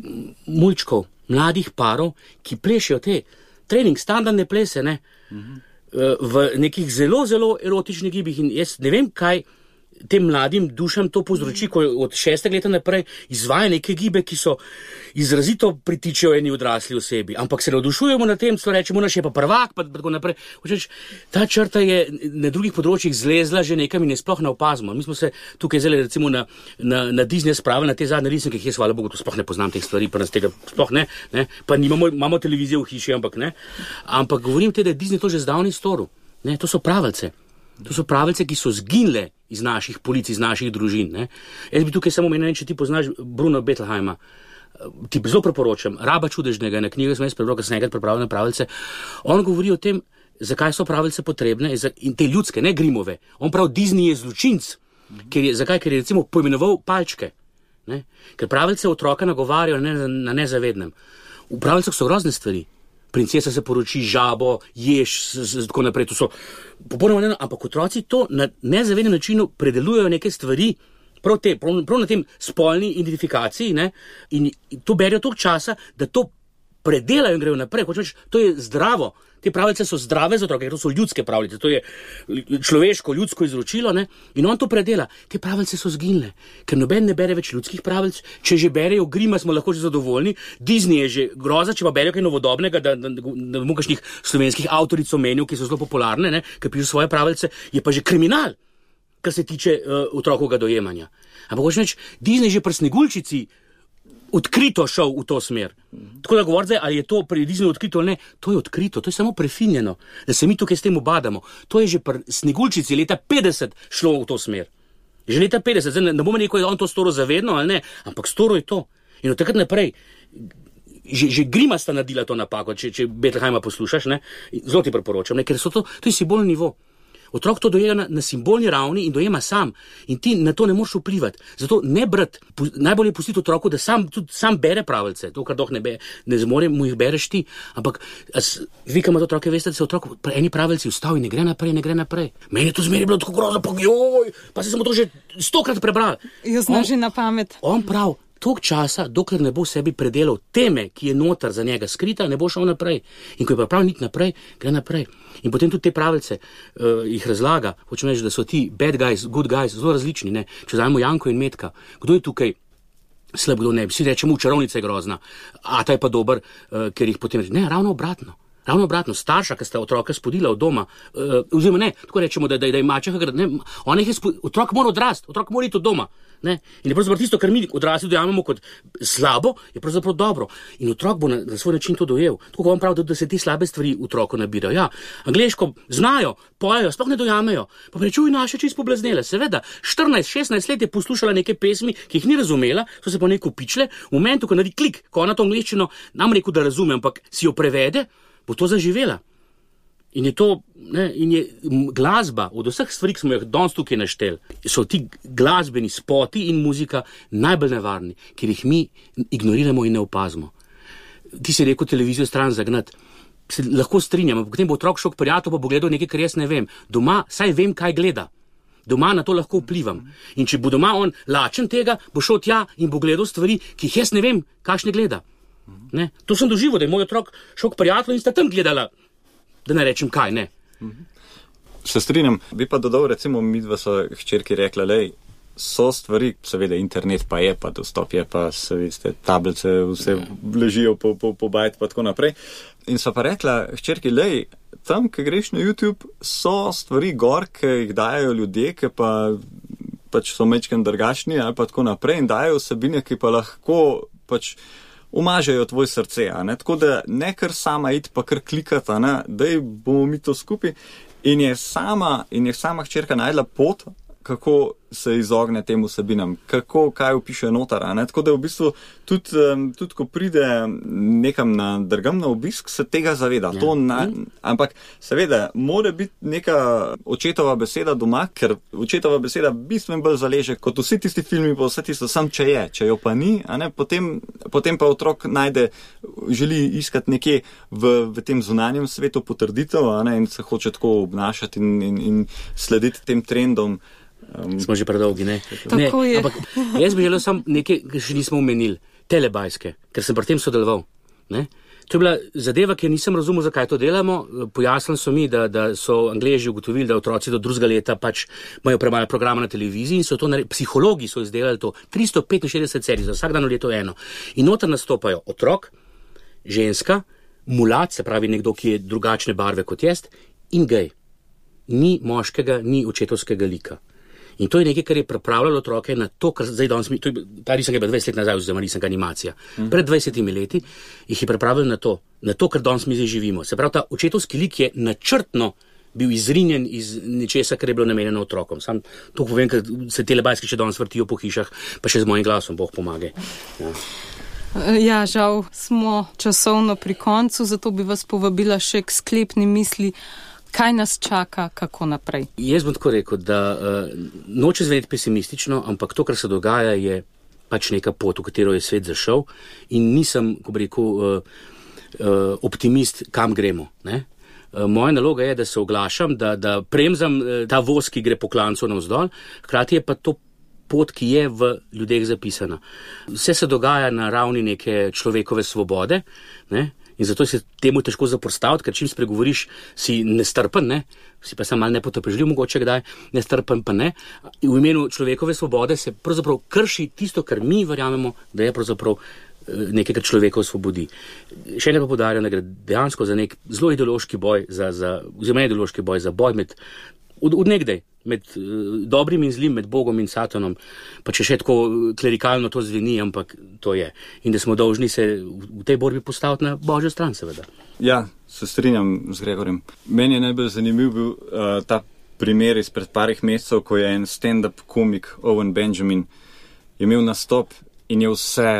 mulčkov, mladih parov, ki plešijo te trening, standardne plese, ne, mhm. v nekih zelo, zelo erotičnih gibih in jaz ne vem, kaj tem mladim dušam to povzroči, ko od šestega leta naprej izvaja neke gibe, ki so izrazito pritičejo eni odrasli osebi, ampak se navdušujemo na tem, so rečemo, naš je pa prvak, pa tako naprej. Hočeš, ta črta je na drugih področjih zlezla že nekam in je sploh ne opazimo. Mi smo se tukaj zdaj recimo na, na, na Disney spravili na te zadnje risanke, ki jaz, hvala Bogu, to sploh ne poznam teh stvari, pa nas tega sploh ne, ne, pa nimamo, imamo televizijo v hiši, ampak ne, ampak govorim te, da je Disney to že zdavni storil, ne, to so pravice. To so pravice, ki so zginile iz naših polic, iz naših družin. Ne? Jaz bi tukaj samo omenil, če ti poznaš Bruno Bettelheima, ti zelo preporočam, Raba čudežnega, na knjigo sem jaz prebral, ker sem enkrat pripravil na pravice. On govori o tem, zakaj so pravice potrebne in te ljudske, ne Grimove. On pravi, Disney je zločinc. Ker je, zakaj? Ker je recimo poimenoval palčke. Ne? Ker pravice otroka nagovarjajo na, na nezavednem. V pravicah so grozne stvari. Princesa se poroči, žabo, ješ, tako naprej, to so popolnoma ne, ampak otroci to na nezavednem načinu predelujejo neke stvari, prav, te, prav, prav na tem spolni identifikaciji, ne, in to berijo toliko časa, da to predelajo in grejo naprej, hočeš, to je zdravo. Te pravice so zdrave za otroke, to so ljudske pravice, to je človeško, ljudsko izročilo, ne? In on to predela. Te pravice so zginile, ker noben ne bere več ljudskih pravic. Če že berejo Grima, smo lahko že zadovoljni. Disney je že groza, če pa berejo kaj novodobnega, da ne bom kakšnih slovenskih avtoric omenil, ki so zelo popularne, ne? Ker pišu svoje pravice, je pa že kriminal, kar se tiče uh, otrokovega dojemanja. Ampak hočeš reči, Disney že pri Sneguljčici odkrito šel v to smer. Tako da govorite, ali je to pri Disneyju odkrito ali ne, to je odkrito, to je samo prefinjeno, da se mi tukaj s tem obadamo. To je že pri Sneguljčici leta petdeset šlo v to smer. Že leta petdeset, zdaj ne, ne bomo rekel, da on to storil zavedno ali ne, ampak storil je to. In od takrat naprej, že, že Grima sta naredila to napako, če, če Bettelheima poslušaš, ne, zelo ti priporočam, ne, ker so to, to je simbolni nivo. Otrok to dojema na, na simbolni ravni in dojema sam. In ti na to ne moreš vplivati. Zato ne brati, najbolje pustiti otroku, da sam, tudi sam bere pravice. To, kar doh ne, be, ne zmore, mu jih bereš ti. Ampak as, vi, ki imate otroke, veste, da se otrok pri eni pravilci ustavi in ne gre naprej, ne gre naprej. Meni je to zmeri bilo tako grozno, pa joj, pa se samo to že stokrat prebral. Jo znaš že na pamet. On prav. Tok časa, dokler ne bo sebi predelal teme, ki je noter za njega skrita, ne bo šel naprej. In ko je pripravljen iti naprej, gre naprej. In potem tudi te pravice uh, jih razlaga. Hočem reči, da so ti bad guys, good guys zelo različni. Ne? Če vzamemo Janko in Metka, kdo je tukaj slab, kdo ne? Vsi rečemo, čarovnica je grozna, a ta je pa dober, uh, ker jih potem reče. Ne, ravno obratno. Ravno obratno, starša, ki sta otroka spodila od doma, uh, oziroma ne, tako rečemo, da, da, da je mačeha, ne, ona jih je spodila, otrok mora odrasti, otrok mora iti od doma. Ne? In je pravzaprav tisto, kar mi odrasli dojamemo kot slabo, je pravzaprav dobro. In otrok bo na, na svoj način to dojel. Tako vam pravi, da, da se te slabe stvari otroku nabirajo. Ja, angleško znajo, pojejo, sploh ne dojamejo. Pa prečuj naše čisto poblaznele. Seveda, štirinajst šestnajst let je poslušala neke pesmi, ki jih ni razumela, so se pa neko pičle. V momentu, ko naredi klik, ko ona to angleščino nam rekel, da razume, ampak si jo prevede, bo to zaživela. In je to, ne, in je glasba, od vseh stvari, ki smo jih danes tukaj naštel, so ti glasbeni spoti in muzika najbolj nevarni, ker jih mi ignoriramo in ne opazimo. Ti si rekel televizijo stran zagnati. Se lahko strinjam, potem bo otrok šel k prijatelju, pa bo gledal nekaj, kar jaz ne vem. Doma, saj vem, kaj gleda. Doma na to lahko vplivam. In če bo doma on lačen tega, bo šel tja in bo gledal stvari, ki jih jaz ne vem, kakšne gleda. Ne? To sem doživel, da je moj otrok šel k prijatelju in sta tam gledala. Da ne rečem kaj, ne. Se strinjam. Bi pa dodal, recimo, midva so hčerki rekla, lej, so stvari, seveda internet pa je, pa dostop je, pa se veste, tablice vse ležijo po, po, po bajt, pa tako naprej. In so pa rekla, hčerki, lej, tam, ki greš na YouTube, so stvari gor, ki jih dajo ljudje, ki pa pač so mečken drugačni, ali pa tako naprej, in dajo vsebine, ki pa lahko pač umažejo tvoj srce, a ne? Tako da ne kar sama iti pa kar klikati, a ne? Daj bomo mi to skupaj. In je sama, in je sama hčerka najdla pot, kako se izogne tem vsebinam, kako, kaj upiše notar, a ne? Tako da v bistvu tudi, tudi ko pride nekam na drgam na obisk, se tega zaveda. Ja. To na, ampak seveda, mora biti neka očetova beseda doma, ker očetova beseda bistveno bolj zaleže, kot vsi tisti filmi, pa vse tisto, sam če je, če jo pa ni, a ne? Potem, potem pa otrok najde, želi iskati nekje v, v tem zunanjem svetu potrditev, a ne? In se hoče tako obnašati in, in, in slediti tem trendom. Um, Smo že predolgi, ne? ne ampak jaz bi želel samo nekaj, ki še nismo omenili, telebajske, ker sem pri tem sodeloval. Ne? To je bila zadeva, ki nisem razumel, zakaj to delamo. Pojasnili so mi, da, da so Angleži ugotovili, da otroci do drugega leta pač imajo premalo programa na televiziji in so to naredili, psihologi so izdelali to, tristo petinšestdeset serij, za vsak dan v leto eno. In noter nastopajo otrok, ženska, mulat, se pravi nekdo, ki je drugačne barve kot jaz, in gej. Ni moškega, ni očetovskega lika. In to je nekaj, kar je pripravljalo otroke na to, kar zdaj danes mi, to je, ta risanka je bila dvajset let nazaj, oziroma risanka animacija. Mm. Pred dvajsetimi leti jih je pripravljalo na to, na to, kar danes mi zdaj živimo. Se pravi, ta očetovski lik je načrtno bil izrinjen iz nečesa, kar je bilo namenjeno otrokom. Sam to povem, ker se telebajski še danes vrtijo po hišah, pa še z mojim glasom, Bog pomagaj. Ja. Ja, žal smo časovno pri koncu, zato bi vas povabila še k sklepni misli. Kaj nas čaka, kako naprej? Jaz bom tako rekel, da uh, noče zveneti pesimistično, ampak to, kar se dogaja, je pač neka pot, v katero je svet zašel in nisem, ko bi rekel, uh, uh, optimist, kam gremo. Ne? Uh, moja naloga je, da se oglašam, da, da premzam uh, ta voz, ki gre po klancu navzdol, hkrati je pa to pot, ki je v ljudeh zapisana. Vse se dogaja na ravni neke človekove svobode, ne? In zato se temu težko zapostaviti, ker čim spregovoriš, si nestrpen, ne? Si pa sam malo nepotrpežljiv, mogoče kdaj, nestrpen pa ne. In v imenu človekove svobode se pravzaprav krši tisto, kar mi verjamemo, da je pravzaprav nekaj, kar človeka osvobodi. Še ne pa podarjam, da gre dejansko za nek zelo ideološki boj, za, za, oziroma ideološki boj, za boj med, od, od nekdaj, med uh, dobrim in zlim, med Bogom in Satanom, pa če še tako klerikalno to zveni, ampak to je. In da smo dolžni se v, v tej borbi postaviti na Božjo stran, seveda. Ja, se strinjam z Gregorjem. Meni je najbolj zanimiv bil uh, ta primer izpred parih mesecev, ko je en stand-up komik Owen Benjamin imel nastop in je vse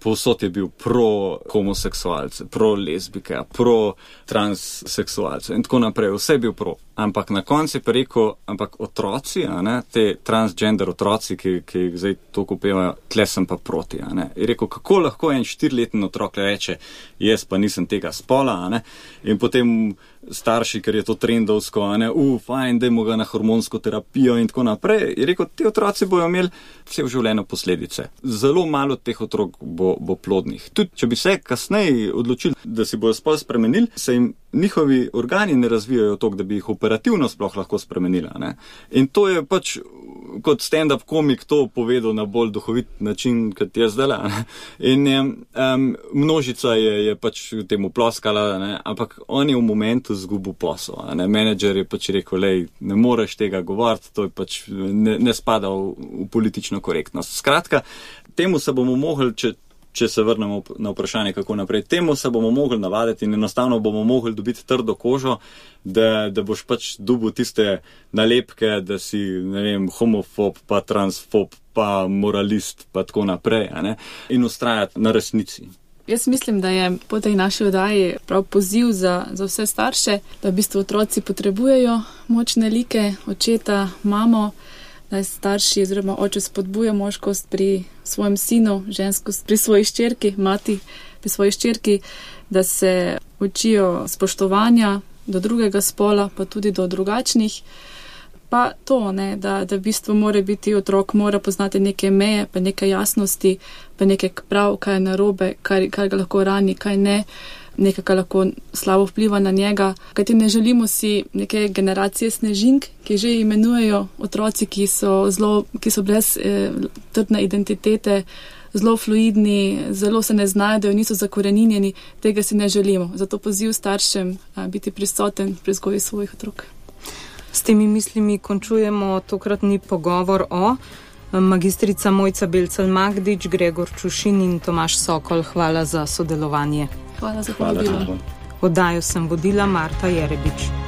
povsod je bil pro-homoseksualce, pro-lesbike, pro-transseksualce in tako naprej. Vse je bil pro. Ampak na koncu je pa rekel, ampak otroci, a ne, te transgender otroci, ki, ki jih zdaj toliko upevajo, tle sem pa proti. A ne. Je rekel, kako lahko en štiriletni otrok reče, jaz pa nisem tega spola, a ne. In potem starši, ker je to trendovsko, a ne, u, fajn, dajmo ga na hormonsko terapijo in tako naprej. Je rekel, ti otroci bojo imeli vse v življenju posledice. Zelo malo teh otrok bo, bo plodnih. Tudi, če bi se kasneje odločili, da si bojo spol spremenili, se jim njihovi organi ne razvijajo toliko, da bi jih operativno sploh lahko spremenila. Ne? In to je pač kot stand-up komik to povedal na bolj duhovit način, kot je zdaj. Ne? In je, um, množica je, je pač temu ploskala, ne? Ampak on je v momentu zgubil posel. Ne? Menedžer je pač rekel, lej, ne moreš tega govoriti, to je pač ne, ne spada v, v politično korektnost. Skratka, temu se bomo mogli, če če se vrnemo na vprašanje, kako naprej. Temu se bomo mogli navaditi in enostavno bomo mogli dobiti trdo kožo, da, da boš pač dobil tiste nalepke, da si, ne vem, homofob, pa transfob, pa moralist, pa tako naprej, a ne? In ustrajati na resnici. Jaz mislim, da je po tej naši oddaji prav poziv za, za vse starše, da v bistvu otroci potrebujejo močne like, očeta, mamo, da starši oziroma oče spodbuja moškost pri svojem sinu, ženskost pri svoji ščerki, mati pri svoji ščerki, da se učijo spoštovanja do drugega spola, pa tudi do drugačnih. Pa to, ne, da, da v bistvu mora biti otrok, mora poznati neke meje, pa neke jasnosti, pa neke prav, kaj je narobe, kaj, kaj ga lahko rani, kaj ne, nekaj, kar lahko slabo vpliva na njega. Kajti ne želimo si neke generacije snežink, ki že imenujejo otroci, ki so, zelo, ki so brez eh, trdne identitete, zelo fluidni, zelo se ne znajdejo, niso zakoreninjeni. Tega si ne želimo. Zato poziv staršem a, biti prisoten pri vzgoji svojih otrok. S temi mislimi končujemo tokratni pogovor o magistrica Mojca Belcelj-Magdič, Gregor Čušin in Tomaž Sokol. Hvala za sodelovanje. Hvala za povabilo. Oddajo sem vodila Marta Jerebič.